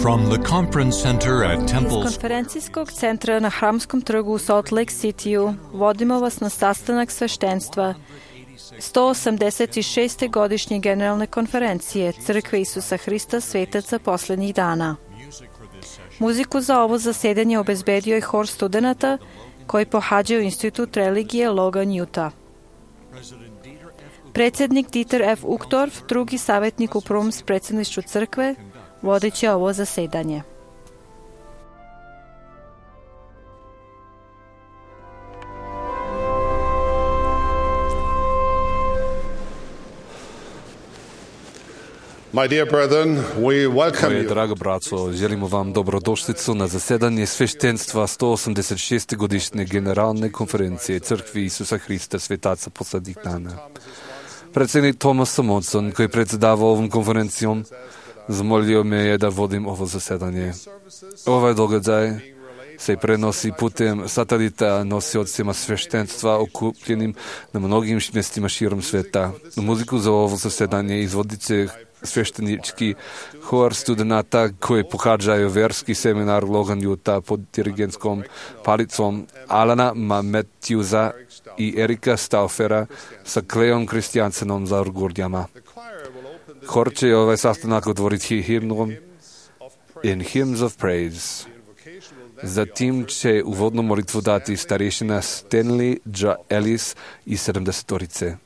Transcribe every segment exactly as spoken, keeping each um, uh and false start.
From the conference center at Iz Temple's konferencijskog centra na Hramskom trgu u Salt Lake City-u vodimo vas na sastanak sveštenstva sto osamdeset šeste godišnje generalne konferencije Crkve Isusa Hrista svetaca poslednjih dana. Muziku za ovo zasedanje obezbedio je hor studenata koji pohađaju Institut religije Logan, Utah. Predsjednik Dieter F. Uchtdorf, drugi savjetnik u prvom predsjedništvu crkve, vodit će ovo zasedanje. My dear brethren, we welcome Moje you. drago braco, želimo vam dobrodošlicu na zasedanje sveštenstva sto osamdeset šeste godišnje generalne konferencije Crkvi Isusa Hrista svetaca poslednjih dana. Predsjednik Thomas Monson, koji je predsjedavao ovom konferencijom, zamolio me je da vodim ovo zasedanje. Ovaj događaj se prenosi putem satelita nosiocima sveštenstva okupljenim na mnogim mjestima širom sveta. Muziku za ovo zasedanje izvodit će sveštenički hor studenata koji pohađaju verski seminar Logan, Utah pod dirigentskom palicom Alana Matthewsa i Erika Stauffera sa Kleom Kristijansenom za orgordjama. Hor će ovaj sastanak otvoriti himnom In Hymns of Praise. Zatim će uvodnu molitvu dati starešina Stanley J. Ellis iz sedamdesetorice.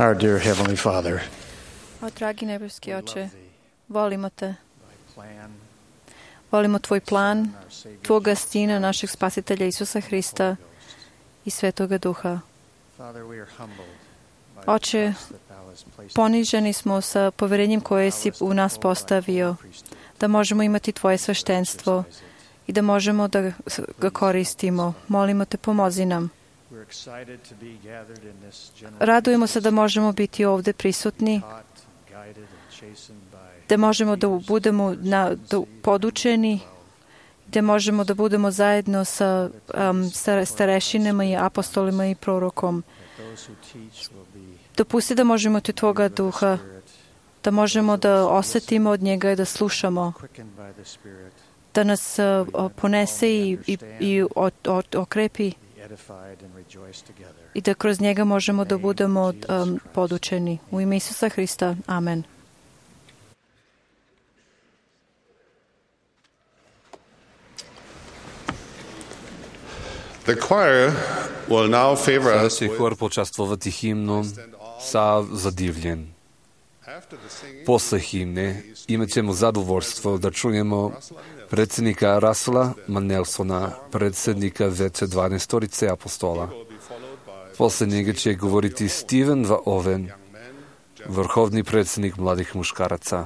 Our dear Heavenly Father, O dragi nebeski Oče, volimo Te. Thy plan, Volimo Tvoj plan, our Savior, Tvoga Sina, našeg Spasitelja Isusa Hrista i Svetoga Duha. Father, we are humbled by Oče, the trust that Thou hast placed poniženi smo sa poverenjem koje si u nas postavio, da možemo imati Tvoje sveštenstvo i da možemo da ga koristimo. Molimo Te, pomozi nam. We're excited to be gathered in this general Radujemo se da možemo biti ovde prisutni, taught, guided and chastened by da možemo da budemo na, da podučeni, da možemo da budemo zajedno sa um, star- starešinama i apostolima i prorokom. that those who teach will be Dopusti da možemo od Tvoga Duha, Spirit, da možemo da osetimo od njega i da slušamo, quickened by the Spirit, da nas uh, ponese i, i, i o, o, okrepi be edified and rejoice together. i da kroz njega možemo da budemo um, podučeni. U ime Isusa Hrista. Amen. The choir will now favor Сега us će with, хор почаствувати химном са задивлjen. after the singing, Posle himne imat ćemo zadovoljstvo da čujemo predsjednika Russella Manelsona, predsjednika Veća dvanaestorice apostola. will be followed by Posle njega će govoriti Steven Va Oven, vrhovni predsjednik mladih muškaraca.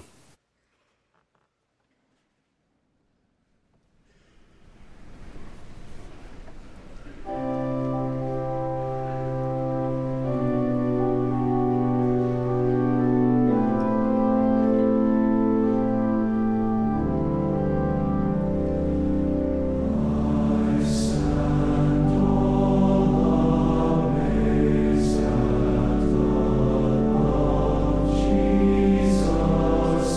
Jesus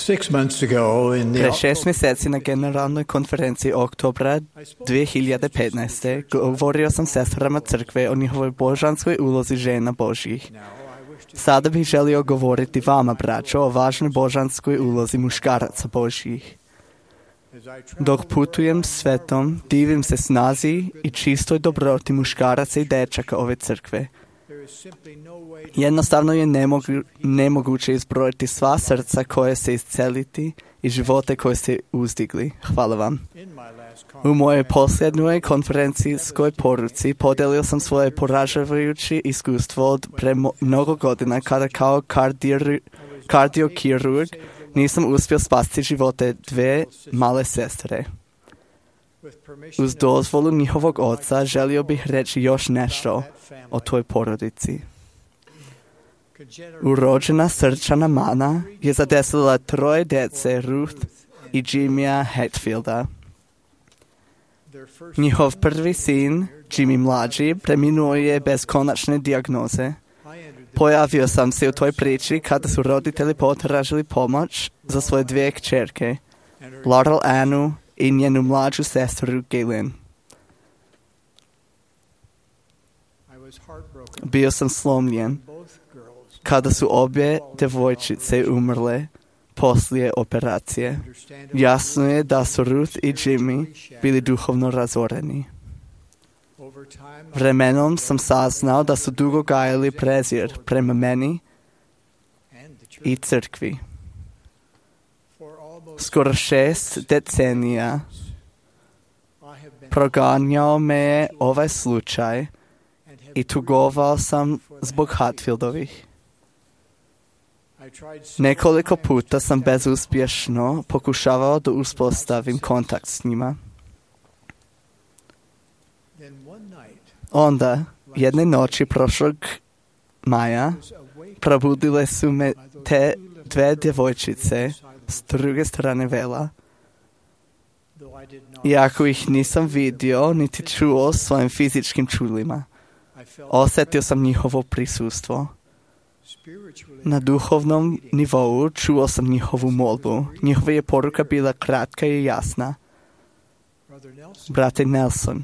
Six months ago in Pre the šest mjeseci na generalnoj konferenciji oktobra dvije hiljade petnaeste. govorio sam sestrama crkve o njihovoj božanskoj ulozi žena Božjih. Sada bih želio govoriti vama, braćo, o važnoj božanskoj ulozi muškaraca Božjih. Dok putujem svetom, divim se snazi i čistoj dobroti muškaraca i dečaka ove crkve. Jednostavno je nemogu, nemoguće izbrojiti sva srca koje se isceliti i živote koje se uzdigli. Hvala vam. U mojoj posljednjoj konferencijskoj poruci podelio sam svoje poražavajuće iskustvo od pre mnogo godina kada kao kardir, kardiokirurg nisam uspio spasti živote dve male sestre. Uz dozvolu njihovog oca želio bih reći još nešto o toj porodici. Urođena srčana mana je zadesila troje djece Ruth i Jimmya Hatfielda. Njihov prvi sin, Jimmy mlađi, preminuo je bez konačne dijagnoze. Pojavio sam se u toj priči kada su roditelji potražili pomoć za svoje dvije kćerke, Laurel Annu i njenu mlađu sestru Galen. Bio sam slomljen kada su obje djevojčice umrle poslije operacije. Jasno je da su Ruth i Jimmy bili duhovno razoreni. Vremenom sam saznao da su dugo gajali prezir prema meni i crkvi. Skoro šest decenija proganjao me je ovaj slučaj i tugovao sam zbog Hatfieldovih. Nekoliko puta sam bezuspješno pokušavao da uspostavim kontakt s njima. Onda, jedne noći prošlog maja, probudile su me te dve djevojčice s druge strane vela. Iako ih nisam vidio niti čuo svojim fizičkim čulima, osjetio sam njihovo prisustvo. Na duhovnom nivou čuo sam njihovu molbu. Njihova je poruka bila kratka i jasna. Brate Nelson,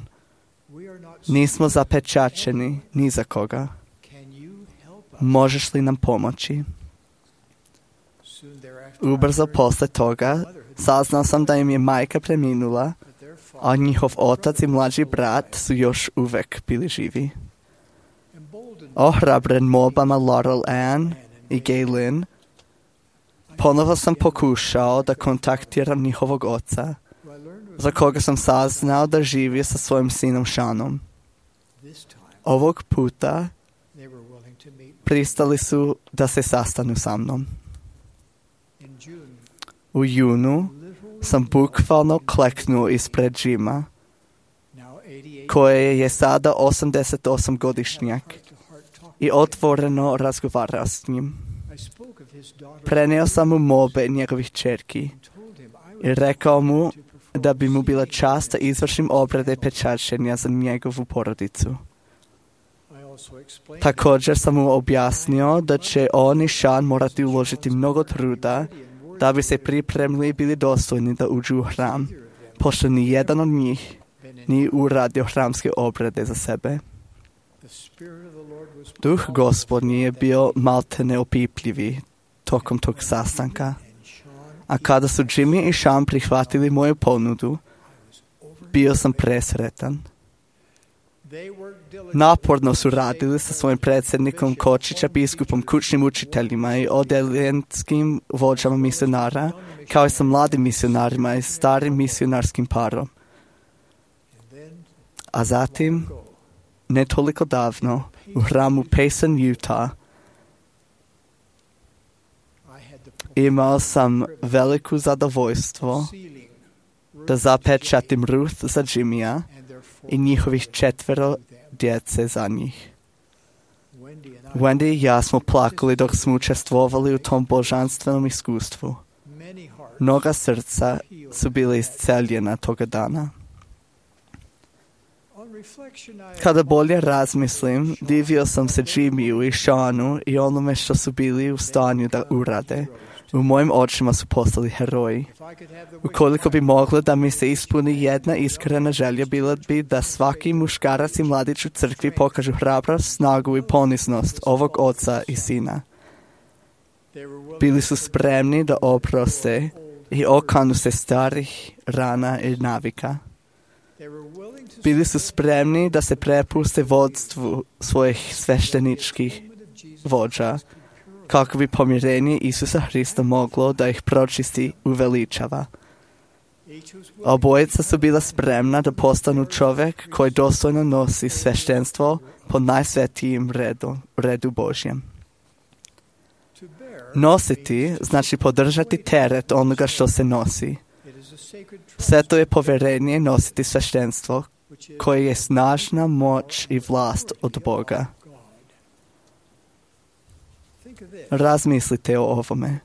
nismo zapečačeni ni za koga. Možeš li nam pomoći? Ubrzo posle toga saznao sam da im je majka preminula, a njihov otac i mlađi brat su još uvek bili živi. Ohrabren molbama Laurel Ann i Galen, ponovo sam pokušao da kontaktiram njihovog oca, za koga sam saznao da živi sa svojim sinom Seanom. Ovog puta pristali su da se sastanu sa mnom. U junu sam bukvalno kleknuo ispred Jima, koje je sada osamdeset osam godišnjak, i otvoreno razgovarao s njim. Prenio sam mu molbe njegovih čerki i rekao mu da bi mu bila čast da izvršim obrede pečaćenja za njegovu porodicu. Također sam mu objasnio da će on i Sean morati uložiti mnogo truda da bi se pripremili i bili dostojni da uđu u hram, pošto ni jedan od njih nije uradio hramske obrede za sebe. Duh Gospodnji je bio malte neopipljivi tokom tog sastanka, a kada su Jimmy i Sean prihvatili moju ponudu, bio sam presretan. Naporno su radili sa svojim predsjednikom Kočića, biskupom, kućnim učiteljima i odeljenskim vođama misionara, kao i sa mladim misionarima i starim misionarskim parom. A zatim, ne toliko davno, u hramu Payson, Utah, imao sam veliko zadovoljstvo da zapečatim Ruth za Jimmya i njihovih četvero djece za njih. Wendy i ja smo plakali dok smo učestvovali u tom božanstvenom iskustvu. Mnoga srca su bile isceljena toga dana. Kada bolje razmislim, divio sam se Jimmyu i Seanu i onome što su bili u stanju da urade. U mojim očima su postali heroji. Ukoliko bi moglo da mi se ispuni jedna iskrena želja, bila bi da svaki muškarac i mladić u crkvi pokažu hrabrost, snagu i poniznost ovog oca i sina. Bili su spremni da oproste i okanu se starih rana i navika. Bili su spremni da se prepuste vodstvu svojih svešteničkih vođa, kako bi pomirenje Isusa Hrista moglo da ih pročisti uveličava. Obojica su bila spremna da postanu čovjek koji dostojno nosi sveštenstvo po najsvetijim redu, redu Božjem. Nositi znači podržati teret onoga što se nosi. Sveto je povjerenje nositi sveštenstvo, koje je snažna moć i vlast od Boga. Razmislite o ovome.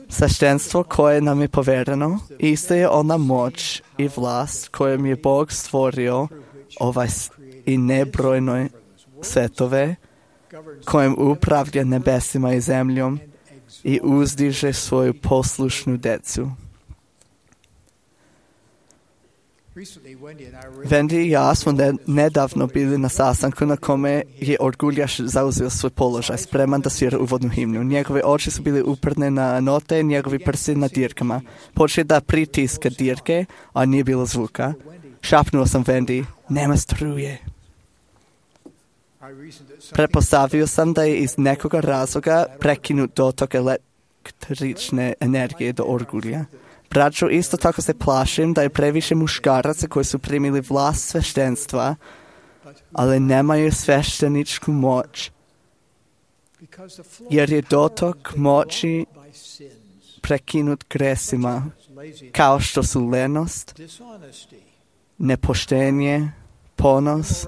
Sveštenstvo koje nam je povjereno, isto je ona moć i vlast kojom je Bog stvorio ovaj i nebrojne svetove, kojim upravlja nebesima i zemljom i uzdiže svoju poslušnu decu. Wendy i ja smo nedavno bili na sastanku na kome je orguljaš zauzeo svoj položaj, spreman da svira uvodnu himnu. Njegove oči su bili uprne na note, njegovi prsti na dirkama. Počeo da pritiska dirke, a nije bilo zvuka. Šapnuo sam Wendy, nema struje. Pretpostavio sam da je iz nekoga razloga prekinut dotok električne energije do orgulja. Braćo, isto tako se plašim da je previše muškaraca koji su primili vlast sveštenstva, ali nemaju svešteničku moć, jer je dotok moći prekinut gresima, kao što su lenost, nepoštenje, ponos,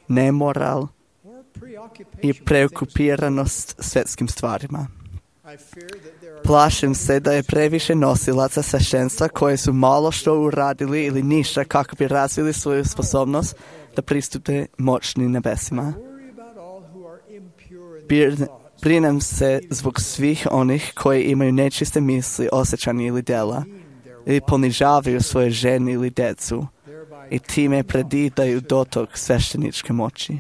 nemoral i preokupiranost svjetskim stvarima. Plašim se da je previše nosilaca sveštenstva koje su malo što uradili ili ništa kako bi razvili svoju sposobnost da pristupe moćnim nebesima. Brinem se zbog svih onih koji imaju nečiste misli, osjećanja ili dela, ili ponižavaju svoje žene ili decu i time predidaju dotok svešteničke moći.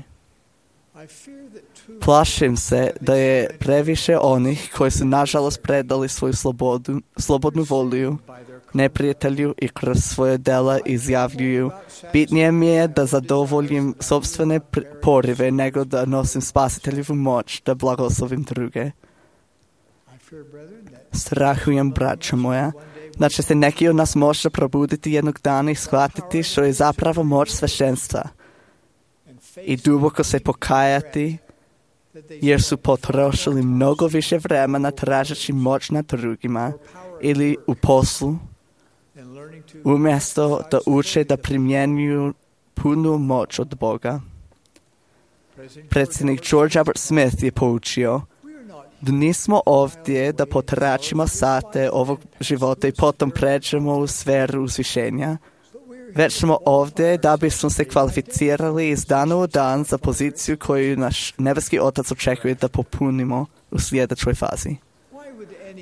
Plašim se da je previše onih koji su nažalost predali svoju slobodu, slobodnu volju neprijatelju i kroz svoje dela izjavljuju: bitnije mi je da zadovoljim sopstvene porive nego da nosim spasiteljevu moć da blagoslovim druge. Strahujem, braćo moja, da će se neki od nas možda probuditi jednog dana i shvatiti što je zapravo moć sveštenstva i duboko se pokajati, jer su potrošili mnogo više vremena tražeći moć nad drugima ili u poslu, umjesto da uče da primjenjuju punu moć od Boga. Predsjednik George Albert Smith je poučio da nismo ovdje da potračimo sate ovog života i potom pređemo u sferu uzvišenja, već smo ovdje da bismo se kvalificirali iz dana u dan za poziciju koju naš nebeski Otac očekuje da popunimo u sljedećoj fazi.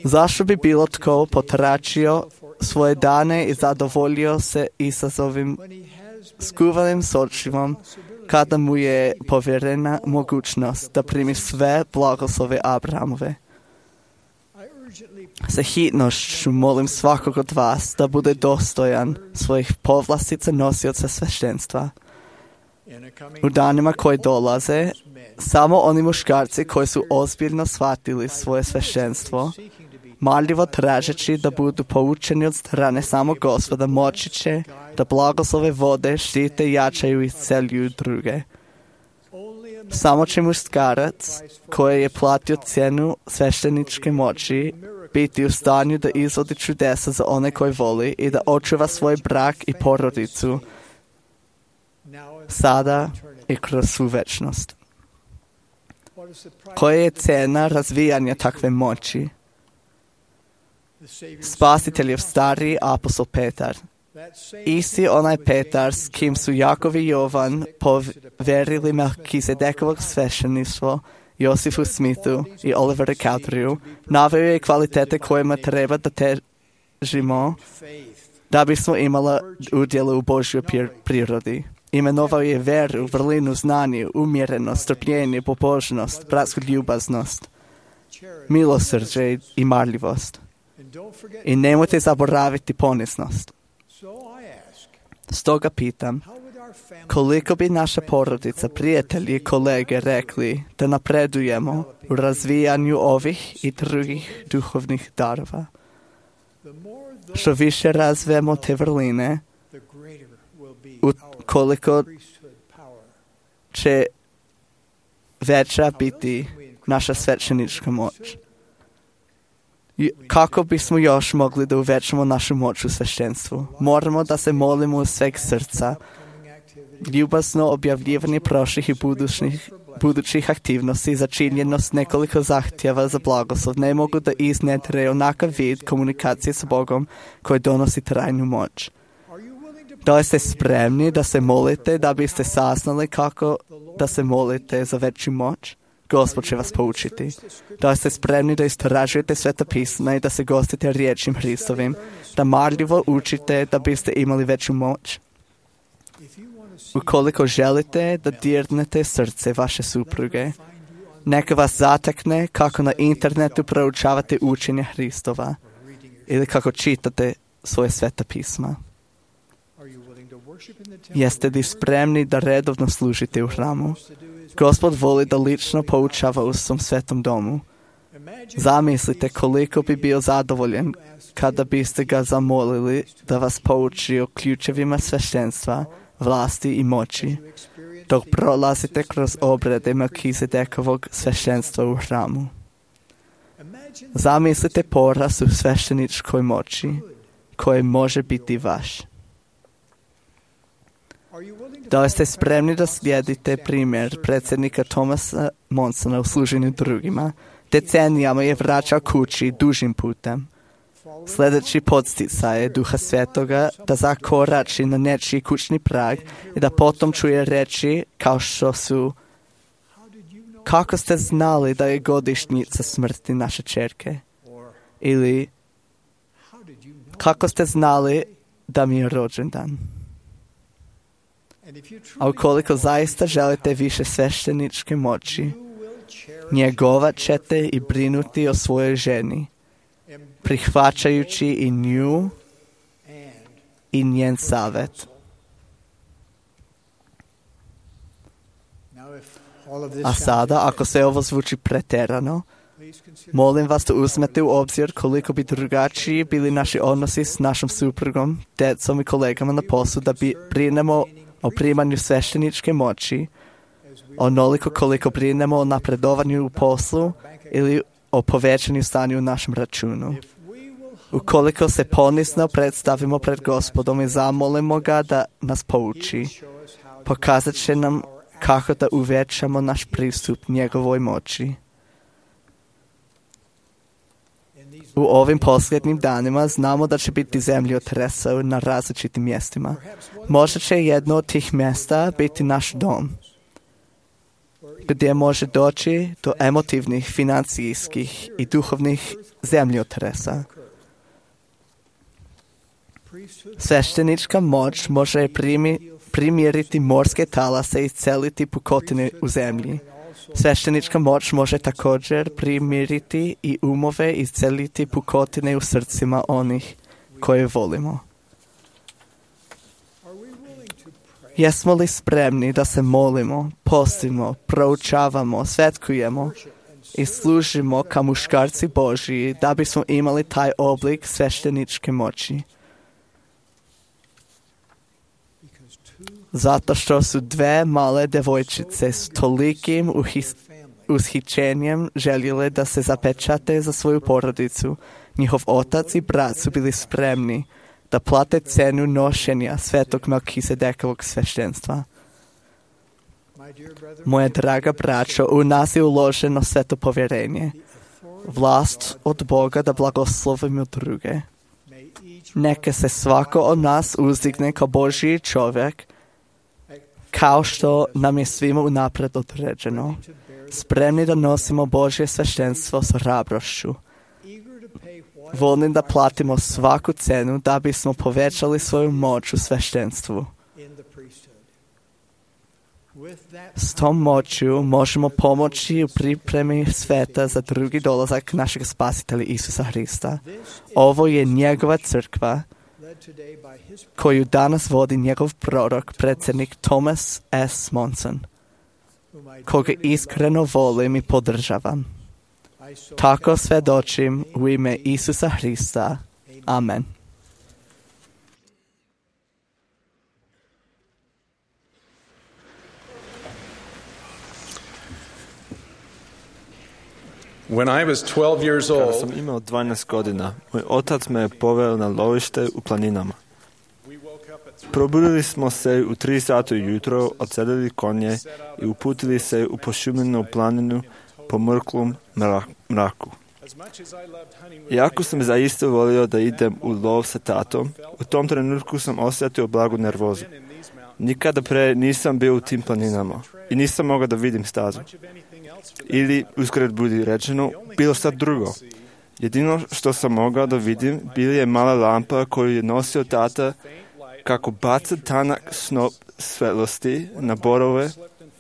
Zašto bi bilo tko potračio svoje dane i zadovoljio se izazovim skuvanim sočivom kada mu je povjerena mogućnost da primi sve blagoslove Abrahamove? Sa hitnošću molim svakog od vas da bude dostojan svojih povlastica nosioca sveštenstva. U danima koji dolaze, samo oni muškarci koji su ozbiljno shvatili svoje sveštenstvo, marljivo tražeći da budu poučeni od strane samog Gospoda, moći će da blagoslove vode, štite, jačaju i isceljuju druge. Samo će muškarac koji je platio cijenu svešteničke moći biti u stanju da izvodi čudesa za one koji voli i da očuva svoj brak i porodicu sada i kroz svu večnost. Koja je cena razvijanja takve moći? Spasiteljev stariji apostol Petar, isti onaj Petar s kim su Jakov i Jovan povjerili Melkizedekovog svešteništvo, Josifu Smithu i Oliveru Cowderiju naveo je kvalitete kojima treba da težimo da bismo imala udjela u Božjoj prirodi. Imenovao je veru, vrlinu, znanje, umjerenost, strpljenje, pobožnost, bratsku ljubaznost, milosrđe i marljivost. I nemojte zaboraviti poniznost. Stoga pitam, koliko bi naša porodica, prijatelji i kolege rekli da napredujemo u razvijanju ovih i drugih duhovnih darova? Što više razvijemo te vrline, koliko će veća biti naša svećenička moć. Kako bismo još mogli da uvećamo našu moć u sveštenstvu? Moramo da se molimo u sveg srca. Ljubazno objavljivanje prošlih i budućih, budućih aktivnosti za činjenost nekoliko zahtjeva za blagoslov ne mogu da iznedre onakav vid komunikacije s Bogom koji donosi trajnu moć. Da li ste spremni da se molite da biste saznali kako da se molite za veću moć? Gospod će vas poučiti. Da li ste spremni da istražujete Sveta pisma i da se gostite riječim Hristovim, da marljivo učite da biste imali veću moć? Ukoliko želite da dirnete srce vaše supruge, neka vas zatekne kako na internetu proučavate učenje Hristova ili kako čitate svoje Sveta pisma. Jeste li spremni da redovno služite u hramu? Gospod voli da lično poučava u svom svetom domu. Zamislite koliko bi bio zadovoljen kada biste ga zamolili da vas pouči o ključevima sveštenstva, vlasti i moći, dok prolazite kroz obrede Melkizedekovog sveštenstva u hramu. Zamislite porast u svešteničkoj moći, koji može biti vaš. Da li ste spremni da slijedite primjer predsjednika Thomasa Monsona u služenju drugima? Decenijama je vraćao kući dužim putem. Sljedeći podsticaj je Duha Svetoga da zakorači na nečiji kućni prag i da potom čuje reći kao što su: kako ste znali da je godišnjica smrti naše ćerke? Ili kako ste znali da mi je rođendan? A ukoliko zaista želite više svešteničke moći, njegovat ćete i brinuti o svojoj ženi, prihvaćajući i nju i njen savjet. A sada, ako sve ovo zvuči pretjerano, molim vas da uzmete u obzir koliko bi drugačiji bili naši odnosi s našom suprugom, djecom i kolegama na poslu da bi brinemo o primanju svešteničke moći, onoliko koliko brinemo o napredovanju u poslu ili o povećanju stanju u našem računu. Ukoliko se ponizno predstavimo pred Gospodom i zamolimo ga da nas pouči, pokazat će nam kako da uvećamo naš pristup njegovoj moći. U ovim posljednjim danima znamo da će biti zemljotresa na različitim mjestima. Možda će jedno od tih mjesta biti naš dom, gdje može doći do emotivnih, financijskih i duhovnih zemljotresa. Sveštenička moć može primi, primjeriti morske talase i celiti pukotine u zemlji. Sveštenička moć može također primiriti i umove i celiti pukotine u srcima onih koje volimo. Jesmo li spremni da se molimo, postimo, proučavamo, svetkujemo i služimo kao muškarci Božji da bismo imali taj oblik svešteničke moći? Zato što su dve male devojčice s tolikim uhis, ushićenjem željele da se zapečate za svoju porodicu. Njihov otac i brat su bili spremni da plate cenu nošenja svetog Melkizedekovog sveštenstva. Moja draga braćo, u nas je uloženo sveto povjerenje, vlast od Boga da blagoslovimo druge. Neka se svako od nas uzdigne kao Božji čovjek, kao što nam je svima unaprijed određeno, spremni da nosimo Božje sveštenstvo s hrabrošću, voljni da platimo svaku cenu da bismo povećali svoju moć u sveštenstvu. S tom moću možemo pomoći u pripremi sveta za drugi dolazak našeg Spasitelja Isusa Hrista. Ovo je njegova crkva koju danas vodi njegov prorok, predsjednik Thomas S. Monson, koga iskreno volim i podržavam. Tako svjedočim u ime Isusa Hrista. Amen. When I was twelve years Kada old, sam imao dvanaest godina, moj otac me je poveo na lovište u planinama. Probudili smo se u tri sata ujutro, odsedili konje i uputili se u pošumljenu planinu po mrklom mraku. Iako sam zaista volio da idem u lov sa tatom, u tom trenutku sam osjetio blagu nervozu. Nikada pre nisam bio u tim planinama i nisam mogao da vidim stazu. Ili, uskred budi rečeno, bilo sad drugo. Jedino što sam mogao da vidim bila je mala lampa koju je nosio tata kako baca tanak snop svetlosti na borove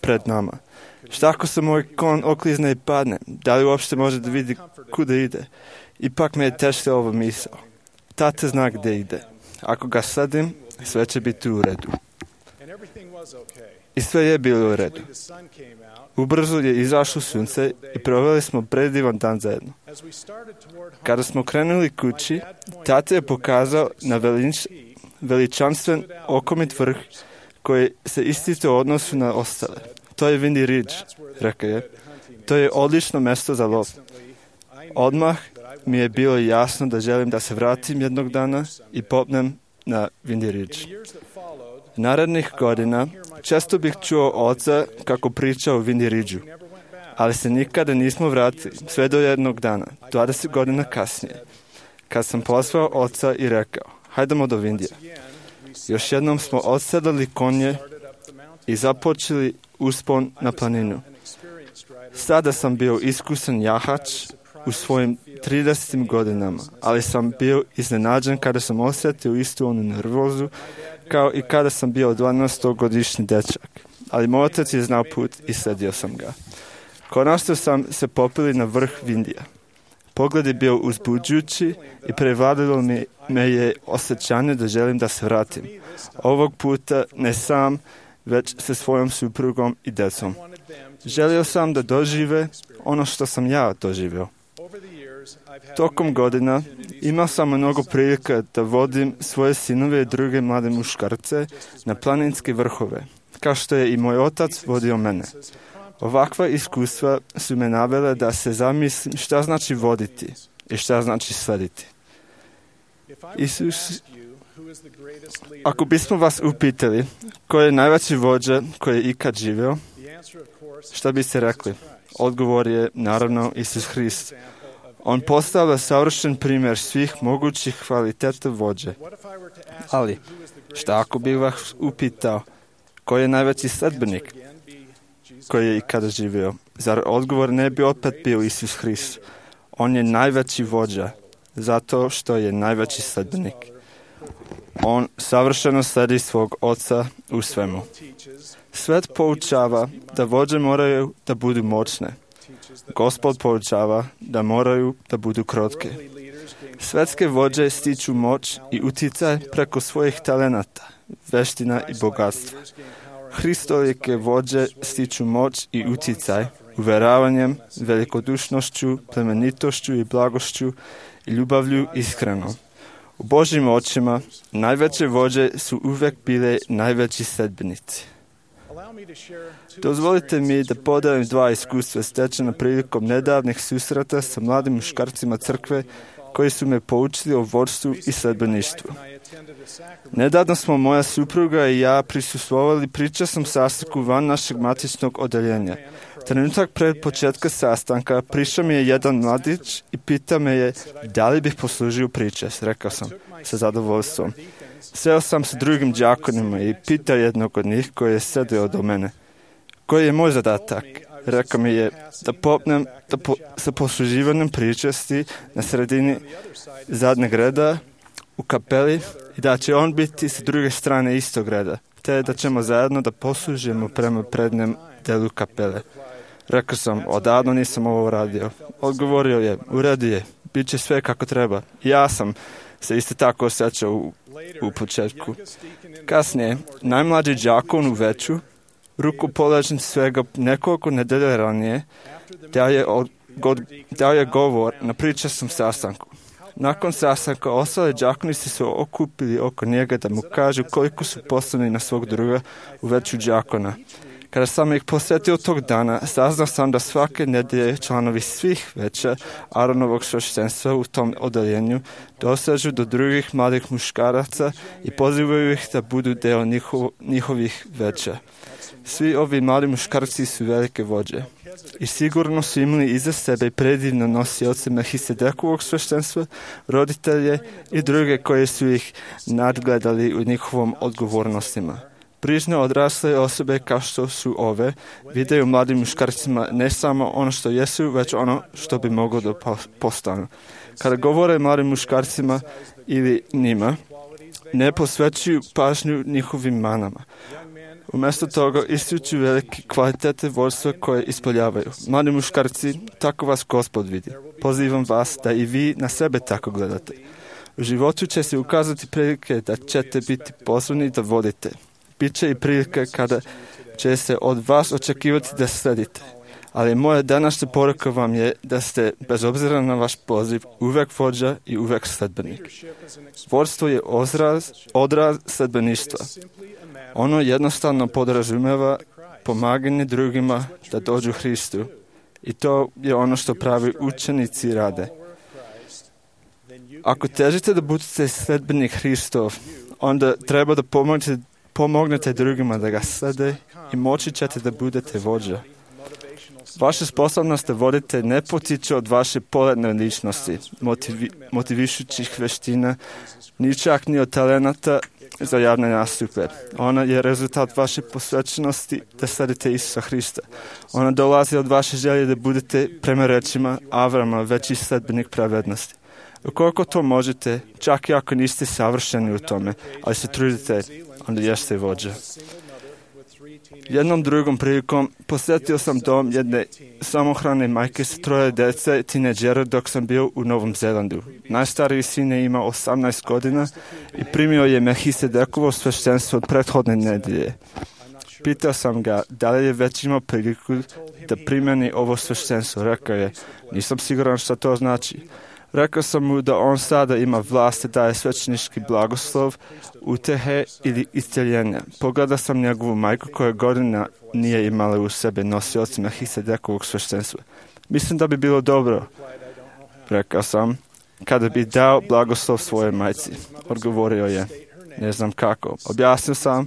pred nama. Šta ako se moj kon oklizne i padne? Da li uopšte može da vidi kuda ide? Ipak me je tešila ova misao. Tata zna gde ide. Ako ga sadim, sve će biti u redu. I sve je bilo u redu. Ubrzo je izašlo sunce i proveli smo predivan dan zajedno. Kada smo krenuli kući, tata je pokazao na velič, veličanstven okomit vrh koji se isticao u odnosu na ostale. To je Windy Ridge, rekao je. To je odlično mesto za lov. Odmah mi je bilo jasno da želim da se vratim jednog dana i popnem na Windy Ridge. Narednih godina često bih čuo oca kako priča o Windy Ridgeu, ali se nikada nismo vratili sve do jednog dana, dvadeset godina kasnije, kad sam pozvao oca i rekao, hajdemo do Windija. Još jednom smo odsedali konje i započeli uspon na planinu. Sada sam bio iskusan jahač u svojim tridesetim godinama, ali sam bio iznenađen kada sam osjetio istu onu nervozu kao i kada sam bio dvanaestogodišnji dečak. Ali moj otac je znao put i sledio sam ga. Konačno sam se popili na vrh Windija. Pogled je bio uzbuđujući i prevladilo mi me je osjećanje da želim da se vratim. Ovog puta ne sam, već sa svojom suprugom i decom. Želio sam da dožive ono što sam ja doživio. Tokom godina imao sam mnogo prilika da vodim svoje sinove i druge mlade muškarce na planinske vrhove, kao što je i moj otac vodio mene. Ovakva iskustva su me navele da se zamislim šta znači voditi i šta znači slediti. Isus, ako bismo vas upitali ko je najveći vođa koji je ikad živio, šta biste rekli? Odgovor je naravno Isus Hrist. On postavlja savršen primjer svih mogućih kvaliteta vođe. Ali, šta ako bih vas upitao ko je najveći sledbenik koji je ikada živio? Zar odgovor ne bi opet bio Isus Hrist? On je najveći vođa, zato što je najveći sledbenik. On savršeno sledi svog oca u svemu. Svet poučava da vođe moraju da budu moćne. Gospod poučava da moraju da budu krotke. Svetske vođe stiču moć i uticaj preko svojih talenata, veština i bogatstva. Hristolike vođe stiču moć i uticaj uveravanjem, velikodušnošću, plemenitošću i blagošću i ljubavlju iskreno. U Božjim očima najveće vođe su uvek bile najveći sledbenici. Dozvolite mi da podelim dva iskustva stečena prilikom nedavnih susreta sa mladim muškarcima crkve koji su me poučili o vođstvu i sledbeništvu. Nedavno smo moja supruga i ja prisustvovali pričasnom sastanku van našeg matičnog odeljenja. Trenutak pred početka sastanka prišao mi je jedan mladić i pitao me je da li bih poslužio pričas. Rekao sam sa zadovoljstvom. Seo sam sa drugim đakonima i pitao jednog od njih koji je sedeo do mene. Koji je moj zadatak? Rekao mi je da popnem da po, sa posluživanjem pričasti na sredini zadnjeg reda u kapeli i da će on biti sa druge strane istog reda, te da ćemo zajedno da poslužimo prema prednjem delu kapele. Rekao sam, odavno nisam ovo radio. Odgovorio je, u redu je, bit će sve kako treba. Ja sam se isto tako osjećao u, u početku. Kasnije, najmlađi đakon u veću, rukopoložen svega nekoliko nedelja ranije, dao je, od, god, dao je govor na pričasnom sastanku. Nakon sastanka, ostale đakoni su se okupili oko njega da mu kažu koliko su poslani na svog druga u veću đakona. Kada sam ih posjetio tog dana, saznao sam da svake nedelje članovi svih veća Aronovog sveštenstva u tom odeljenju dosežu do drugih mladih muškaraca i pozivaju ih da budu deo njihov, njihovih veća. Svi ovi mladi muškarci su velike vođe i sigurno su imali iza sebe predivno nosioce Melhisedekovog sveštenstva, roditelje i druge koje su ih nadgledali u njihovom odgovornostima. Prižne odrasle osobe kao što su ove videju mladim muškarcima ne samo ono što jesu, već ono što bi moglo da postanu. Kada govore mladim muškarcima ili njima, ne posvećuju pažnju njihovim manama. Umjesto toga ističu velike kvalitete vođstva koje ispoljavaju. Mladi muškarci, tako vas Gospod vidi. Pozivam vas da i vi na sebe tako gledate. U životu će se ukazati prilike da ćete biti pozvani da vodite. Biće i prilike kada će se od vas očekivati da sledite. Ali moja današnja poruka vam je da ste, bez obzira na vaš poziv, uvek vođa i uvek sledbenik. Vodstvo je odraz, odraz sledbeništva. Ono jednostavno podrazumeva pomaganje drugima da dođu Hristu. I to je ono što pravi učenici rade. Ako težite da budete sledbenik Hristov, onda treba da pomognete, pomognete drugima da ga slede i moći ćete da budete vođa. Vaša sposobnost da vodite ne potiče od vaše poletne ličnosti, motivi, motivišućih veština, ni čak ni od talenata za javne nastupe. Ona je rezultat vaše posvećenosti da sledite Isusa Hrista. Ona dolazi od vaše želje da budete, prema rečima Avrama, veći sledbenik pravednosti. Ukoliko to možete, čak i ako niste savršeni u tome, ali se trudite, onda jeste vođa. Jednom drugom prilikom posjetio sam dom jedne samohrane majke sa troje dece, tineđera, dok sam bio u Novom Zelandu. Najstariji sin je imao osamnaest godina i primio je Melhisedekovo sveštenstvo od prethodne nedelje. Pitao sam ga da li je već imao priliku da primjeni ovo sveštenstvo. Rekao je, nisam siguran šta to znači. Rekao sam mu da on sada ima vlast da daje svećenički blagoslov, utehe ili isceljenja. Pogledao sam njegovu majku koja godina nije imala u sebe nosioci Melhisedekovog sveštenstva. Mislim da bi bilo dobro, rekao sam, kada bi dao blagoslov svojoj majci. Odgovorio je, ne znam kako. Objasnio sam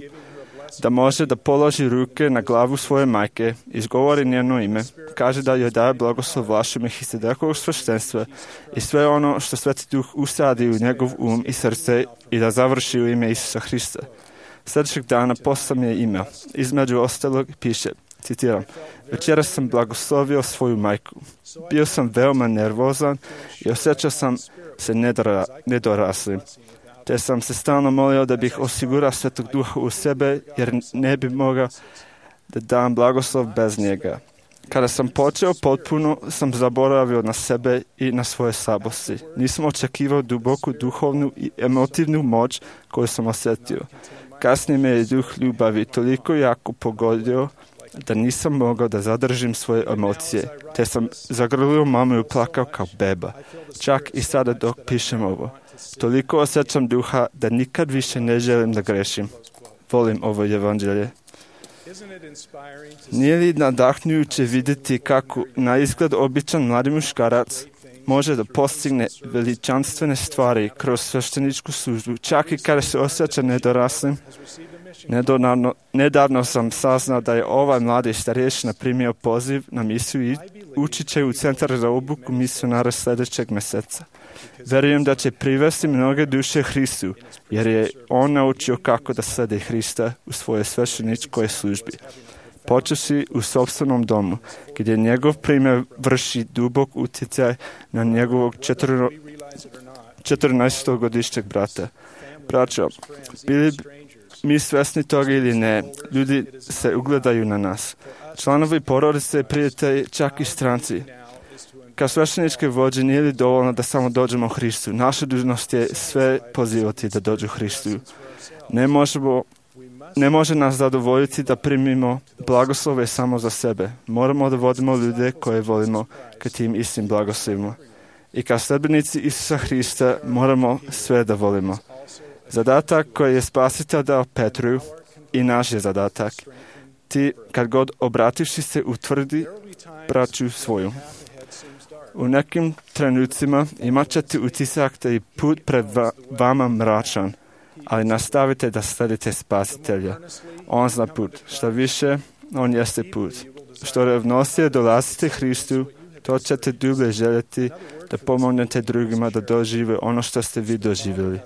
da može da položi ruke na glavu svoje majke, izgovori njeno ime, kaže da joj daje blagoslov vašem Melhisedekovog sveštenstva i sve ono što Sveti Duh usadi u njegov um i srce i da završi u ime Isusa Hrista. Sljedećeg dana poslao mi je email. Između ostalog piše, citiram, večeras sam blagoslovio svoju majku. Bio sam veoma nervozan i osjećao sam se nedora, nedoraslim. Te sam se stalno molio da bih osigurao Svetog Duha u sebe, jer ne bi mogao da dam blagoslov bez njega. Kada sam počeo potpuno, sam zaboravio na sebe i na svoje slabosti. Nisam očekivao duboku duhovnu i emotivnu moć koju sam osjetio. Kasnije me je duh ljubavi toliko jako pogodio da nisam mogao da zadržim svoje emocije, te sam zagrlio mamu i plakao kao beba. Čak i sada dok pišem ovo. Toliko osjećam duha da nikad više ne želim da grešim. Volim ovo evanđelje. Nije li nadahnujuće vidjeti kako na izgled običan mladi muškarac može da postigne veličanstvene stvari kroz svešteničku službu, čak i kada se osjeća nedoraslim? Nedavno, nedavno sam saznao da je ovaj mladi starješina primio poziv na misiju i učit će u centar za obuku misionara sljedećeg mjeseca. Verujem da će privesti mnoge duše Hristu, jer je on naučio kako da slede Hrista u svojoj svešteničkoj službi. počeši u sopstvenom domu, gdje njegov primjer vrši dubok utjecaj na njegovog četrnaestogodišnjeg brata. Braćo, bili mi svjesni toga ili ne, ljudi se ugledaju na nas. Članovi porodice, prijatelji, čak i stranci. Kao svešteničke vođe nije li dovoljno da samo dođemo Hristu? Naša dužnost je sve pozivati da dođu Hristu. Ne možemo, ne može nas zadovoljiti da primimo blagoslove samo za sebe. Moramo da vodimo ljude koje volimo ka tim istim blagoslovima. I kao sledbenici Isusa Hrista moramo sve da volimo. Zadatak koji je Spasitelj dao Petru i naš je zadatak. Ti, kad god obrativši se, utvrdi braću svoju. U nekim trenucima imat ćete utisak da je put pred vama mračan, ali nastavite da sledite Spasitelja. On zna put. Što više, on jeste put. Što revnosije dolazite Hristu, to ćete dublje željeti da pomognete drugima da dožive ono što ste vi doživjeli.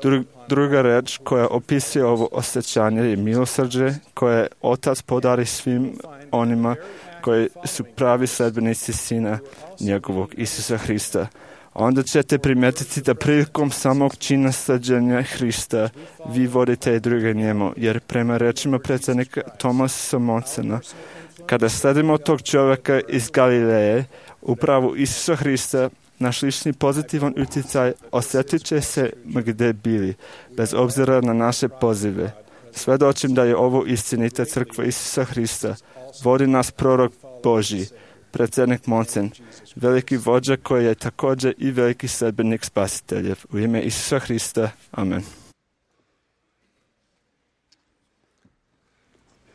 Dru, druga reč koja opisuje ovo osjećanje je milosrđe koje Otac podari svim onima koji su pravi sledbenici Sina njegovog, Isusa Hrista. Onda ćete primijetiti da prilikom samog čina sleđenja Hrista vi vodite i druge njemu, jer prema rečima predsjednika Tomasa Monsena, kada sledimo tog čovjeka iz Galileje, upravo Isusa Hrista, naš lični pozitivan utjecaj osjetit će se gdje bili, bez obzira na naše pozive. Svjedočim da je ovo istinita crkva Isusa Hrista. Vodi nas prorok Božji, predsjednik Monsen, veliki vođa koji je također i veliki sledbenik Spasiteljev. U ime Isusa Hrista. Amen.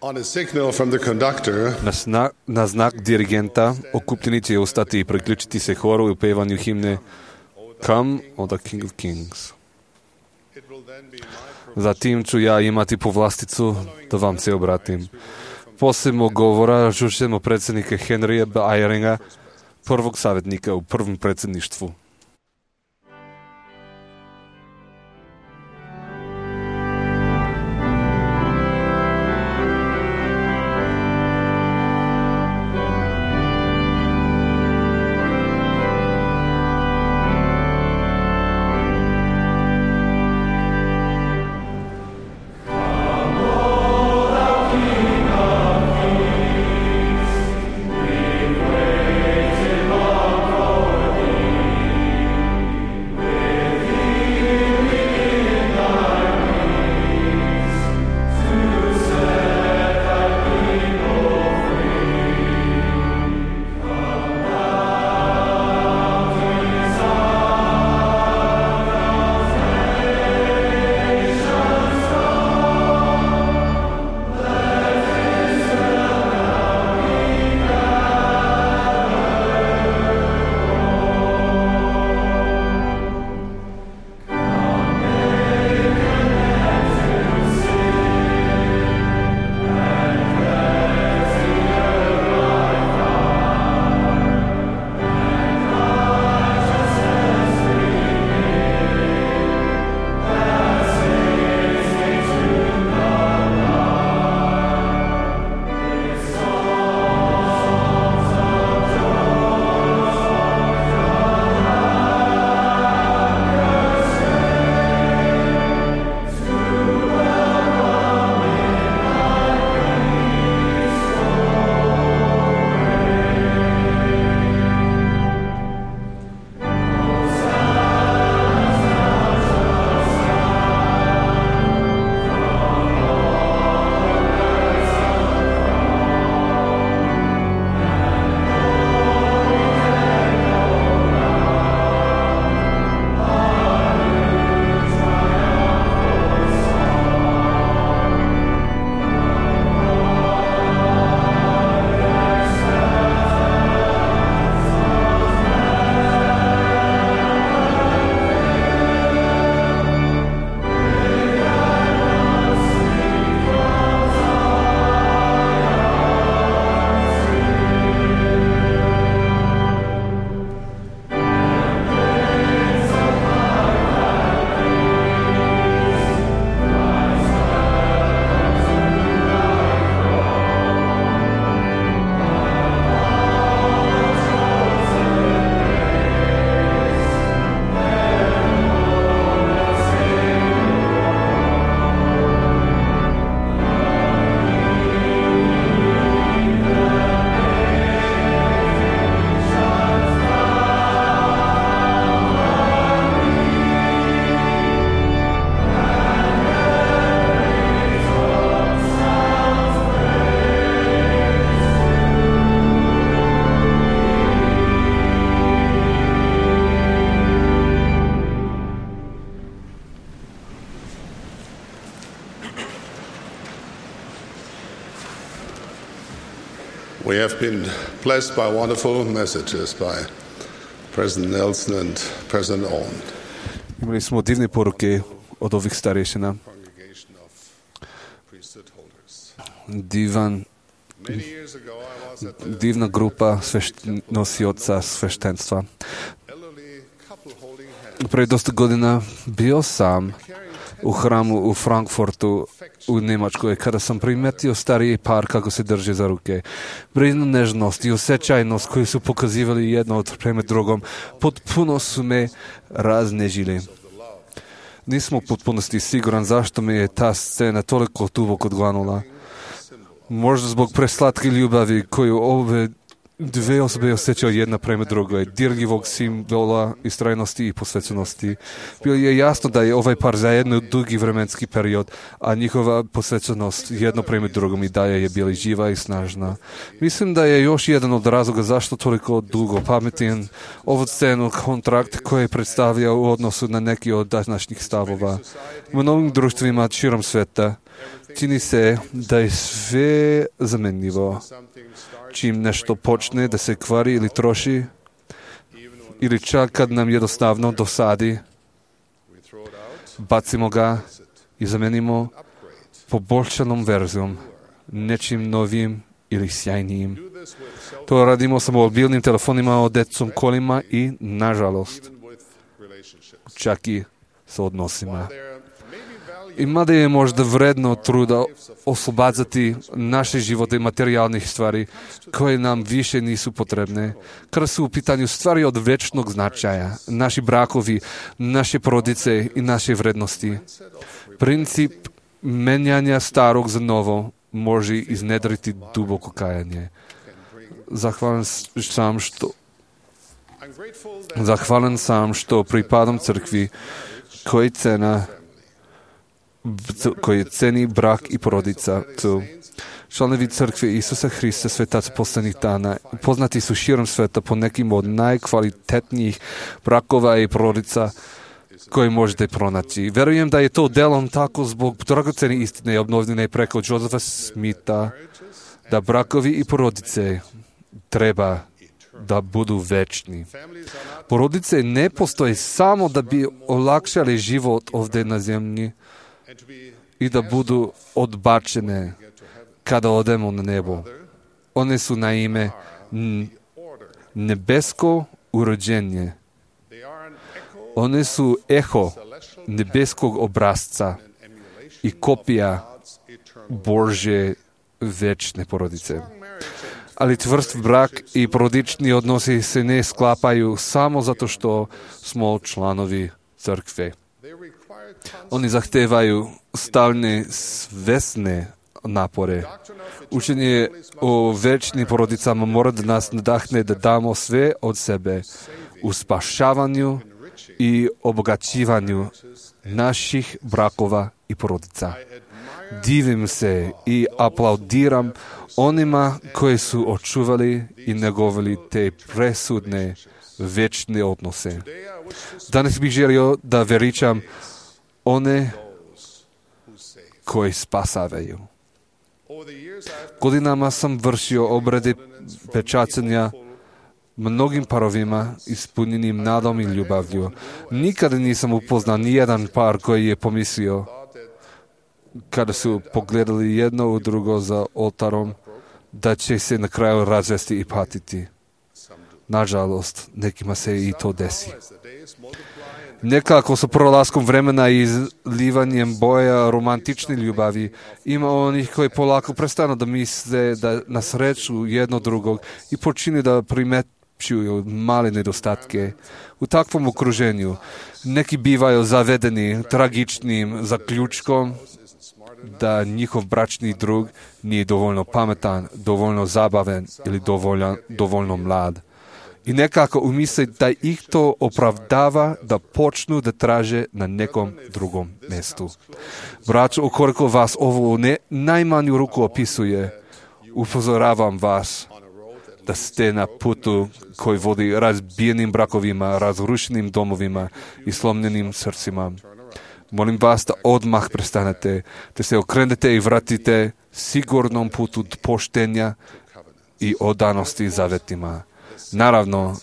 On a signal from the conductor, Na, sna, na znak dirigenta okupljeni će ostati i priključiti se horu u pevanju himne Come, O the King of Kings. Zatim ću ja imati povlasticu da vam se obratim. Poslije govora čućemo predsjednika Henrya B. Eyringa, prvog savjetnika u prvom predsjedništvu. Thank have been blessed by wonderful messages by President Nelson and President Owen. Imali smo divne poruke od ovih starešina. Divan, divna grupa svešt- nosioca sveštenstva. Pre dosta godina bio sam u hramu u Frankfurtu u Njemačkoj, kada sam primetio stariji par kako se drže za ruke. Brinu nežnost i osjećajnost koju su pokazivali jedno od prema drugom, potpuno su me raznežili. Nisam u potpunosti siguran zašto me je ta scena toliko duboko odglanula. Možda zbog preslatke ljubavi koju ove dve osobe osjećaju jedna prema drugoj, dirljivog simbola istrajnosti i posvećenosti. Bilo je jasno da je ovaj par zajedno dugi vremenski period, a njihova posvećenost jedno prema drugom i dalje je bila živa i snažna. Mislim da je još jedan od razloga zašto toliko dugo pametim ovu scenu kontrakt koji predstavlja u odnosu na neki od današnjih stavova. U mnogim društvima širom sveta čini se da je sve zamenljivo. Čim nešto počne da se kvari ili troši, ili čak kad nam jednostavno dosadi, bacimo ga i zamenimo poboljšanom verzijom, nečim novim ili sjajnijim. To radimo sa mobilnim telefonima, odecom, kolima i, nažalost, čak i sa odnosima. I mada je možda vredno truda oslobađati naše živote materijalnih stvari koje nam više nisu potrebne, kada su u pitanju stvari od večnog značaja, naši brakovi, naše porodice i naše vrednosti. Princip menjanja starog za novo može iznedriti duboko kajanje. Zahvalan sam što Zahvalan sam što pripadam crkvi koji cena koji ceni brak i porodica. Tu. Članovi crkve Isusa Hrista, svetaca poslednjih dana, poznati su širom sveta po nekim od najkvalitetnijih brakova i porodica koje možete pronaći. Verujem da je to delom tako zbog dragocene istine obnovljene preko Josefa Smitha, da brakovi i porodice treba da budu večni. Porodice ne postoje samo da bi olakšali život ovdje na zemlji i da budu odbačene kada odemo na nebo. One su naime nebesko urođenje. One su eho nebeskog obrazca i kopija Božje večne porodice. Ali čvrst brak i porodični odnosi se ne sklapaju samo zato što smo članovi crkve. Oni zahtevaju stalne svesne napore. Učenje o večnim porodicama mora da nas nadahne da damo sve od sebe u spašavanju i obogaćivanju naših brakova i porodica. Divim se i aplaudiram onima koji su očuvali i negovali te presudne večne odnose. Danas bih želio da veličam one koji spasavaju. Godinama sam vršio obrade pečaćenja mnogim parovima ispunjenim nadom i ljubavlju. Nikada nisam upoznao ni jedan par koji je pomislio kada su pogledali jedno u drugo za oltarom da će se na kraju razvesti i patiti. Nažalost, nekima se i to desi. Nekako sa prolaskom vremena i izlivanjem boja romantične ljubavi ima onih koji polako prestanu da misle da na sreću jedno drugog i počine da primećuju male nedostatke. U takvom okruženju neki bivaju zavedeni tragičnim zaključkom da njihov bračni drug nije dovoljno pametan, dovoljno zabaven ili dovoljno, dovoljno mlad. I nekako umisle da ih to opravdava da počnu da traže na nekom drugom mestu. Braćo, ukoliko vas ovo ne najmanju ruku opisuje, upozoravam vas da ste na putu koji vodi razbijenim brakovima, razrušenim domovima i slomljenim srcima. Molim vas da odmah prestanete, da se okrenete i vratite sigurnom putu poštenja i odanosti zavetima. Naravno,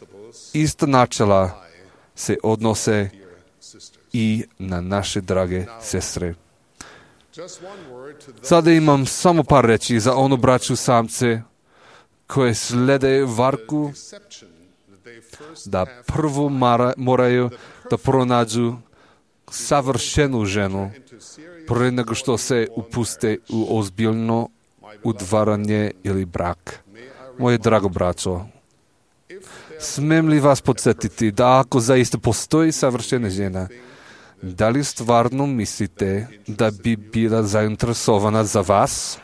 ista načela se odnose i na naše drage sestre. Sada imam samo par reći za onu braću samce koje slede varku da prvo mara, moraju da pronađu savršenu ženu pre nego što se upuste u ozbiljno udvaranje ili brak. Moje drago braćo, smem li vas podsjetiti da ako zaista postoji savršena žena, da li stvarno mislite da bi bila zainteresovana za vas?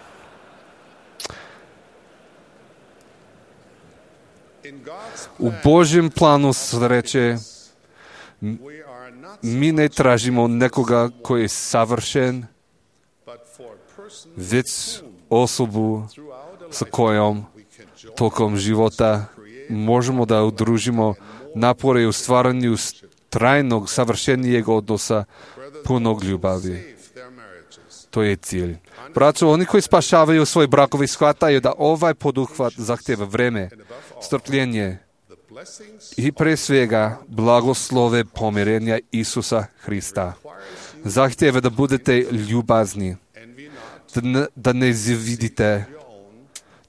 U Božjem planu sreće mi ne tražimo nekoga koji je savršen, već osobu sa kojom tokom života možemo da udružimo napore u stvaranju trajnog, savršenijeg odnosa, punog ljubavi. To je cilj. Braćo, oni koji spašavaju svoj brakovi shvataju da ovaj poduhvat zahtjeva vreme, strpljenje i pre svega blagoslove pomirenja Isusa Hrista. Zahtjeva da budete ljubazni, da ne, da ne zavidite,